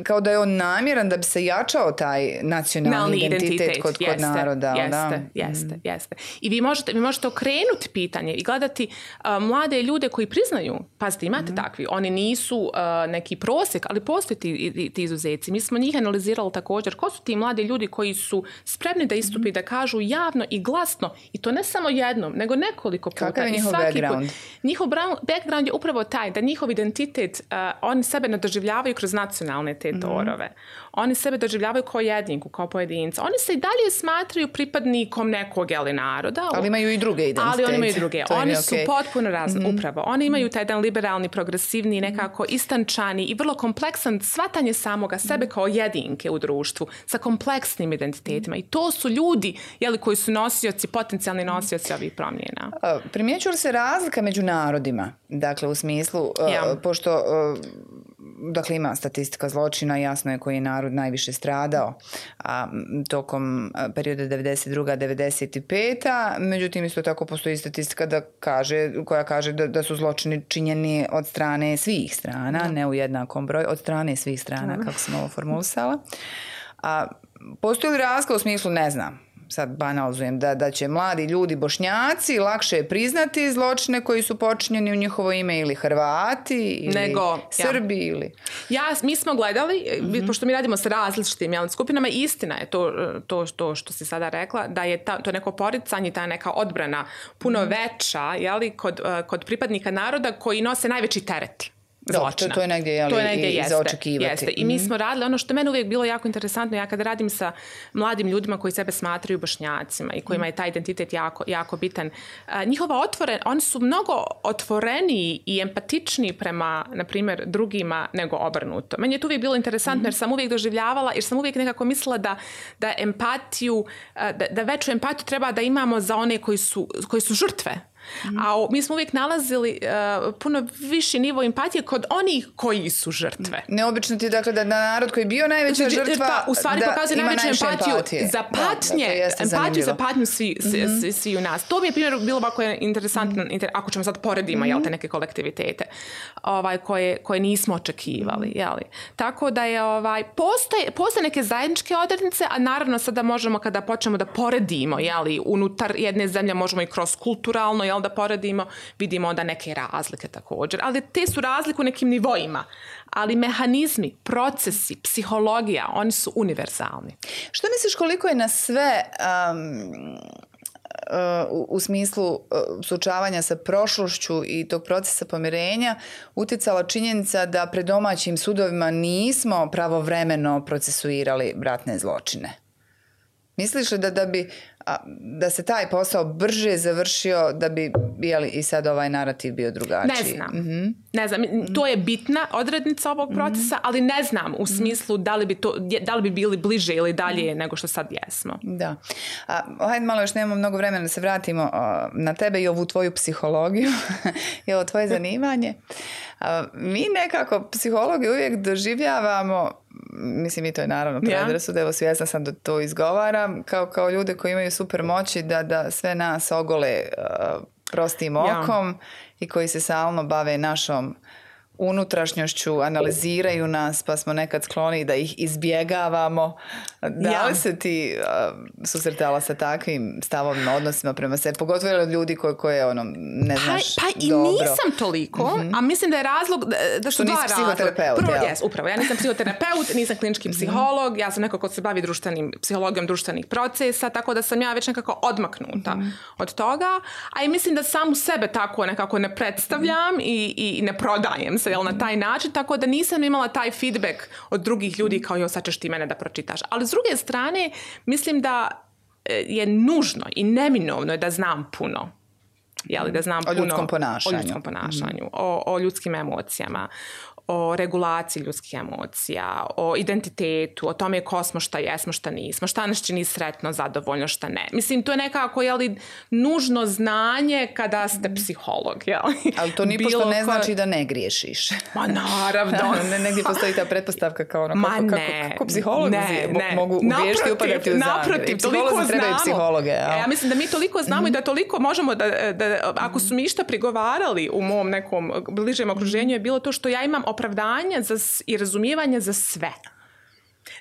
Kao da je on namjeran da bi se jačao taj nacionalni identitet, identitet kod, jeste, kod naroda. Jeste, da? jeste, mm. jeste. I vi možete, vi možete okrenuti pitanje i gledati uh, mlade ljude koji priznaju, pazite, imate mm. takvi, oni nisu uh, neki prosjek, ali postoje ti, ti izuzeci. Mi smo njih analizirali također. Ko su ti mladi ljudi koji su spremni da istupi, mm. da kažu javno i glasno, i to ne samo jednom, nego nekoliko puta. Kakav je njihov background? Put. Njihov background je upravo taj da njihov identitet, uh, oni sebe ne doživljavaju kroz nacionalne te torove. Mm. Oni sebe doživljavaju kao jedinku, kao pojedinca. Oni se i dalje smatraju pripadnikom nekog jeli, naroda. Ali imaju i druge identitete. Ali oni imaju i druge. To oni okay. su potpuno razni, mm-hmm. upravo. Oni imaju taj jedan liberalni, progresivni, nekako istančani i vrlo kompleksan shvatanje samoga sebe kao jedinke u društvu sa kompleksnim identitetima. I to su ljudi jeli, koji su nosioci, potencijalni nosioci ovih promjena. Primjećuje li se razlika među narodima? Dakle, u smislu, ja. uh, pošto... Uh, Dakle, ima statistika zločina, jasno je koji je narod najviše stradao a, tokom perioda devedeset druga do devedeset peta Međutim, isto tako postoji statistika da kaže, koja kaže da, da su zločini činjeni od strane svih strana, da. ne u jednakom broju, od strane svih strana, da. kako sam ovo formulisala. A, postoji li razlika u smislu, ne znam, sad banalizujem, da, da će mladi ljudi Bošnjaci lakše priznati zločine koji su počinjeni u njihovo ime ili Hrvati ili Nego, Srbi ja. ili... Ja, mi smo gledali, mm-hmm. pošto mi radimo sa različitim jel, skupinama, istina je to, to, to što si sada rekla, da je ta, to neko poricanje, ta neka odbrana puno mm-hmm. veća jeli, kod, kod pripadnika naroda koji nose najveći teret. To, to je negdje, jeli, to je negdje i jeste, za očekivati. Jeste. I mi smo radili, ono što meni uvijek bilo jako interesantno, ja kada radim sa mladim ljudima koji sebe smatraju Bošnjacima i kojima je taj identitet jako, jako bitan, a, njihova otvoren, oni su mnogo otvoreniji i empatičniji prema, na primjer, drugima nego obrnuto. Meni je to uvijek bilo interesantno mm-hmm. jer sam uvijek doživljavala, jer sam uvijek nekako mislila da, da empatiju, da, da veću empatiju treba da imamo za one koji su, koji su žrtve. Mm. A mi smo uvijek nalazili uh, puno viši nivo empatije kod onih koji su žrtve. Neobično ti je dakle da narod koji je bio najveća žrtva pa, u stvari da pokazuje ima najveću empatiju empatije. za patnje, da, da, empatiju za patnju svi, svi, mm-hmm. svi, svi u nas. To mi je primjer bilo ovako interesantno, mm-hmm. ako ćemo sad poredimo mm-hmm. jel, te neke kolektivitete ovaj, koje, koje nismo očekivali. Mm-hmm. Jeli. Tako da je, ovaj, postoje, postoje neke zajedničke odrednice, a naravno sada možemo kada počnemo da poredimo, jeli, unutar jedne zemlje možemo i kroz kulturalno, jel, da poredimo, vidimo onda neke razlike također. Ali te su razlike u nekim nivoima. Ali mehanizmi, procesi, psihologija, oni su univerzalni. Što misliš koliko je na sve um, uh, u smislu uh, suočavanja sa prošlošću i tog procesa pomirenja utjecala činjenica da pred domaćim sudovima nismo pravovremeno procesuirali ratne zločine? Misliš li da, da bi a, da se taj posao brže završio, da bi jeli, i sad ovaj narativ bio drugačiji? Ne znam. Mm-hmm. Ne znam. To je bitna odrednica ovog procesa, mm-hmm. ali ne znam u smislu da li bi, to, da li bi bili bliže ili dalje mm-hmm. nego što sad jesmo. Da. A, hajde malo, još nemamo mnogo vremena da se vratimo a, na tebe i ovu tvoju psihologiju i ovo tvoje zanimanje. A, mi nekako psihologiju uvijek doživljavamo, mislim i to je naravno predrasud, evo svjesna sam da to izgovaram, kao, kao ljude koji imaju super moći da, da sve nas ogole uh, prostim okom ja. I koji se stalno bave našom unutrašnjošću, analiziraju nas, pa smo nekad skloni da ih izbjegavamo. Da li ja. se ti uh, susretala sa takvim stavovima, odnosima prema sebi? Pogotovo od ljudi koje, koje ono, ne znaš pa, pa dobro. Pa i nisam toliko, mm-hmm. a mislim da je razlog, da su dva razloga. Psihoterapeut, Prvo, ja. jes, upravo. Ja nisam psihoterapeut, nisam klinički psiholog, ja sam neko ko se bavi društvenim, psihologijom društvenih procesa, tako da sam ja već nekako odmaknuta mm-hmm. od toga. A i mislim da samu sebe tako nekako ne predstavljam mm-hmm. i, i ne prodajem se jel, na taj način, tako da nisam imala taj feedback od drugih ljudi kao jo, sad ćeš ti mene da pročitaš. Ali s druge strane, mislim da je nužno i neminovno je da znam puno. Jeli, da znam o puno ljudskom ponašanju. O ljudskom ponašanju, mm. o, o ljudskim emocijama, o regulaciji ljudskih emocija, o identitetu, o tome ko smo, šta jesmo, šta nismo, šta nas čini sretno, zadovoljno, šta ne. Mislim, to je nekako, jeli, nužno znanje kada ste psiholog, jeli? Ali to nipošto ne ko... znači da ne griješiš. Ma naravno. ne, negdje postoji ta pretpostavka kao ono, Ma kako, ne, kako, kako psiholozi ne, ne. mogu u griješke upadati u zamjer. Naprotiv, toliko znamo. Trebaju psihologe. Ja. ja mislim da mi toliko znamo mm-hmm. i da toliko možemo da, da ako su mi išta prigovarali u mom nekom bližem okruženju je bilo to što ja imam opravdanje za, i razumijevanje za sve.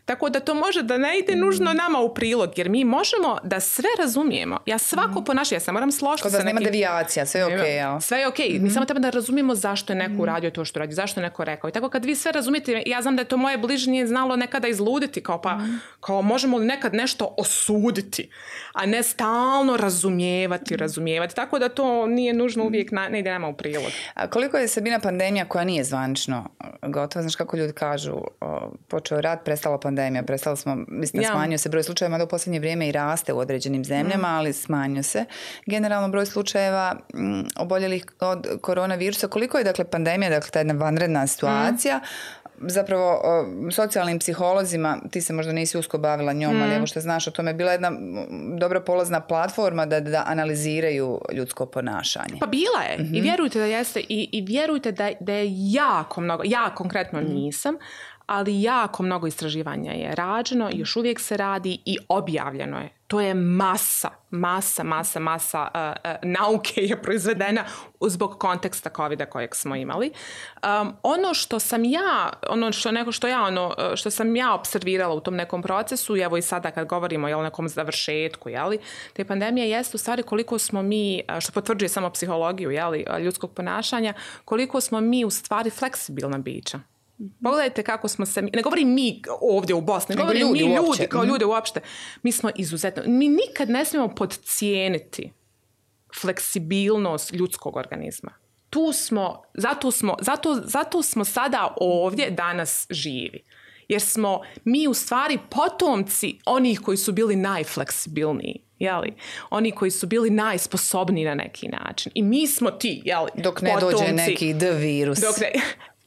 Tako da to može da ne ide nužno nama u prilog, jer mi možemo da sve razumijemo. Ja svako ponašanje, ja se moram složiti sa nekim... Kod vas nema devijacija, sve je okej. Okay, ja. Sve je okej. Okay. Mm-hmm. Mi samo treba da razumijemo zašto je neko mm-hmm. uradio to što radi, zašto je neko rekao. I tako kad vi sve razumijete, ja znam da je to moje bližnje znalo nekada izluditi, kao pa, mm-hmm. kao možemo li nekad nešto osuditi, a ne stalno razumijevati, razumijevati. Tako da to nije nužno uvijek, na, ne ide nama u prilog. A koliko je Sabina pandemija koja nije zvanično gotova, znaš kako ljudi kažu, o, počeo rat, prestala pandemija, prestalo smo, mislim, ja. smanjio se broj slučajeva, da u posljednje vrijeme i raste u određenim zemljama, mm. ali smanjio se. Generalno broj slučajeva m, oboljelih od koronavirusa. Koliko je, dakle, pandemija, dakle, ta jedna vanredna situacija, mm. zapravo o, socijalnim psiholozima, ti se možda nisi usko bavila njom, mm. ali evo što znaš o tome, bila jedna dobra polazna platforma da, da analiziraju ljudsko ponašanje. Pa bila je. Mm-hmm. I vjerujte da jeste. I, i vjerujte da, da je jako mnogo, ja konkretno mm. nisam, ali jako mnogo istraživanja je rađeno, još uvijek se radi i objavljeno je. To je masa, masa, masa, masa uh, uh, nauke je proizvedena zbog konteksta covida kojeg smo imali. Um, ono što sam ja, ono što neko što ja, ono što sam ja observirala u tom nekom procesu, evo i sada kad govorimo o nekom završetku, jeli, te pandemije jeste u stvari koliko smo mi, što potvrđuje samo psihologiju, jeli, ljudskog ponašanja, koliko smo mi u stvari fleksibilna bića. Pogledajte kako smo se, ne govorim mi ovdje u Bosni, ne govorim ljudi mi ljudi uopće. Kao ljude uopšte. Mi smo izuzetno, mi nikad ne smijemo podcijeniti fleksibilnost ljudskog organizma. Tu smo, zato smo, zato, zato smo sada ovdje danas živi. Jer smo mi u stvari potomci onih koji su bili najfleksibilniji. Jeli? Oni koji su bili najsposobniji na neki način. I mi smo ti, jeli, dok ne potomci, dođe neki D virus. Dok ne,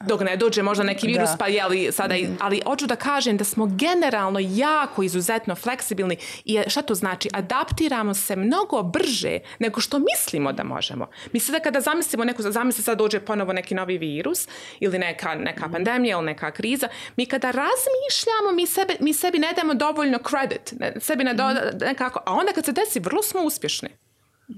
dok ne dođe možda neki virus, da. pa jeli sada, mm. ali hoću da kažem da smo generalno jako izuzetno fleksibilni i šta to znači? Adaptiramo se mnogo brže nego što mislimo da možemo. Mi sada kada zamislimo neku, zamisli sad dođe ponovo neki novi virus ili neka, neka mm. pandemija ili neka kriza, mi kada razmišljamo, mi, sebe, mi sebi ne damo dovoljno credit, ne, sebi ne do, nekako, a onda kad se desi, vrlo smo uspješni.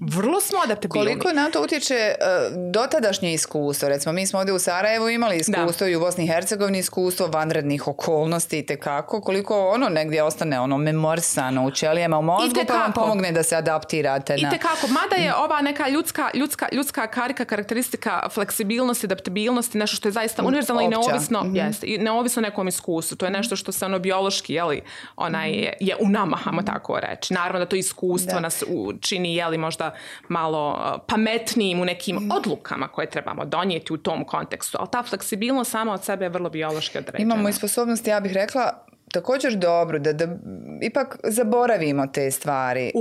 Vrlo smo adaptabilni. Koliko na to utječe uh, dotadašnje iskustvo? Recimo, mi smo ovdje u Sarajevu imali iskustvo da. I u Bosni i Hercegovini iskustvo vanrednih okolnosti i tekako. Koliko ono negdje ostane ono memorisano u ćelijama u mozgu pa vam pomogne da se adaptirate. I na... tekako. Mada je ova neka ljudska, ljudska, ljudska karika, karakteristika fleksibilnosti, adaptabilnosti, nešto što je zaista univerzalno i neovisno, mm-hmm. jest, i neovisno nekom iskustvu. To je nešto što se ono biološki jeli, onaj, je, je u nama, hajmo tako reći. Naravno da to iskustvo da. Nas čini jeli možda da malo pametnijim u nekim odlukama koje trebamo donijeti u tom kontekstu. Ali ta fleksibilnost sama od sebe je vrlo biološki određena. Imamo i sposobnost, ja bih rekla, također dobro, da, da ipak zaboravimo te stvari,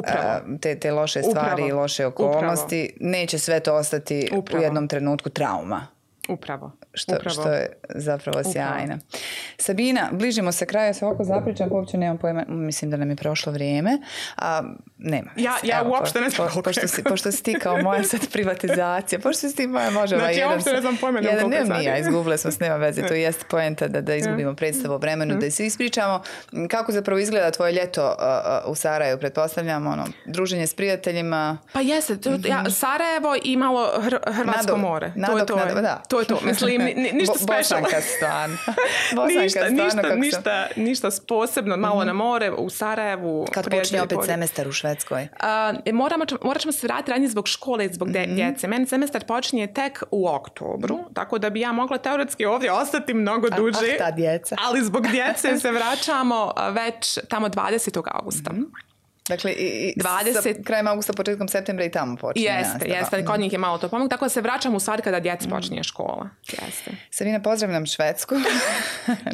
te, te loše stvari i loše okolnosti. Upravo. Neće sve to ostati Upravo. U jednom trenutku trauma. Upravo. Što, Upravo. što je zapravo sjajno. Sabina, bližimo se kraju, ja se ovako zapričam, uopće nemam pojma, mislim da nam je prošlo vrijeme. A, nema. Ja, ja Evo, uopšte ne znam po, pošto, si, pošto si ti kao moja sad privatizacija, pošto si ti moja možemo znači, jedan... Znači, ja uopšte ne znam pojma jedan, koliko je sad. Ja, izgubile smo s nema veze, to jeste poenta da, da izgubimo predstavu o vremenu, da se ispričamo kako zapravo izgleda tvoje ljeto uh, u Sarajevu, pretpostavljam, ono, druženje s prijateljima. Pa jeste, to, ja, Sarajevo i malo hr, Hrvatsko Nadok, more. Nadok, to je to. nadok, da. To je to, mislim, ni, ništa Bo, special. Bosanka stan. Bosanka ništa, stvarno, ništa, ništa, ništa posebno, malo mm-hmm. na more, u Sarajevu. Kad počne opet semestar u Švedskoj? Uh, moramo, morat ćemo se vratiti ranije zbog škole i zbog mm-hmm. djece. Meni semestar počinje tek u oktobru, mm-hmm. tako da bi ja mogla teoretski ovdje ostati mnogo duže. Ah, ta djeca. Ali zbog djece se vraćamo već tamo dvadesetog augusta. Mm-hmm. Dakle, i, dvadeset sa krajem augusta, početkom septembra i tamo počinje. Jeste, nastava. jeste. Kod njih je malo to pomog. Tako da se vraćamo u stvari kada djeci počinje škola. Jeste. Sabina, pozdravljam Švedsku.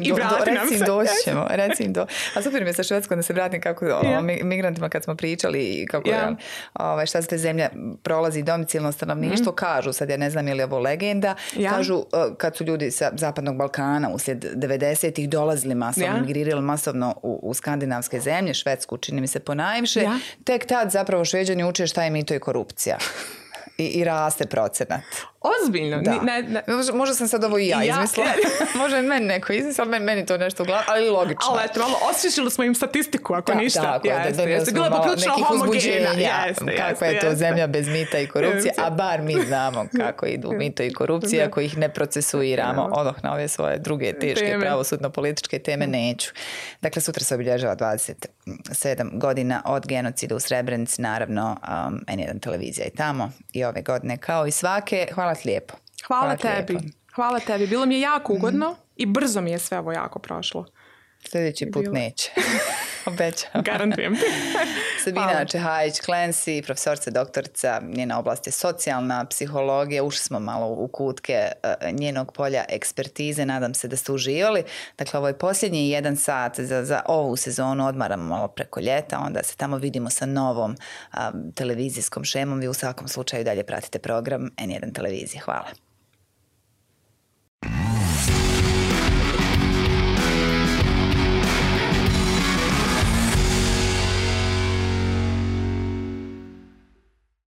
I do, vrati do, nam recim, se. Doći ćemo. Recim do. A super mi je sa Švedskom da se vratim kako yeah. o migrantima kad smo pričali i kako yeah. je, ovaj, šta se te zemlja prolazi domicilno stanovništvo. Mm. Kažu, sad ja ne znam je li ovo legenda, yeah. kažu kad su ljudi sa Zapadnog Balkana uslijed devedesetih dolazili masovno, yeah. migrirali masovno u, u skandinavske zemlje, Švedsku čini mi se ponajviše, yeah. tek tad zapravo Šveđani uče šta je mito i korupcija. I, i raste procenat. Ozbiljno? Da. Ne, ne. Možda, možda sam sad ovo i ja, ja izmislila. Možda je meni neko izmislila, meni, meni to nešto u glavu, ali logično. Ali eto, malo osvišili smo im statistiku, ako da, ništa. Tako, jeste, da, da jeste. Bilo je poprilično homogena. Jeste, kako je to jeste. Zemlja bez mita i korupcije, a bar mi znamo kako idu mito i korupcije, ako ih ne procesuiramo. Odoh na ove svoje druge teške teme. Pravosudno-političke teme neću. Dakle, sutra se obilježava dvadeset sedam godina od genocida u Srebrenici, naravno um, en jedan televizija i tamo i ove godine kao i svake. Hvala ti lijepo. Hvala, Hvala tebi. Lijepo. Hvala tebi. Bilo mi je jako ugodno mm-hmm. i brzo mi je sve ovo jako prošlo. Sljedeći put Bilo. Neće. Obećam. Garantujem ti. Sabina Čehajić-Klensi, profesorca, doktorica, njena oblast je socijalna psihologija. Ušli smo malo u kutke njenog polja ekspertize. Nadam se da ste uživali. Dakle, ovo je posljednji jedan sat za, za ovu sezonu. Odmaramo malo preko ljeta. Onda se tamo vidimo sa novom um, televizijskom šemom. Vi u svakom slučaju dalje pratite program en jedan televizije. Hvala.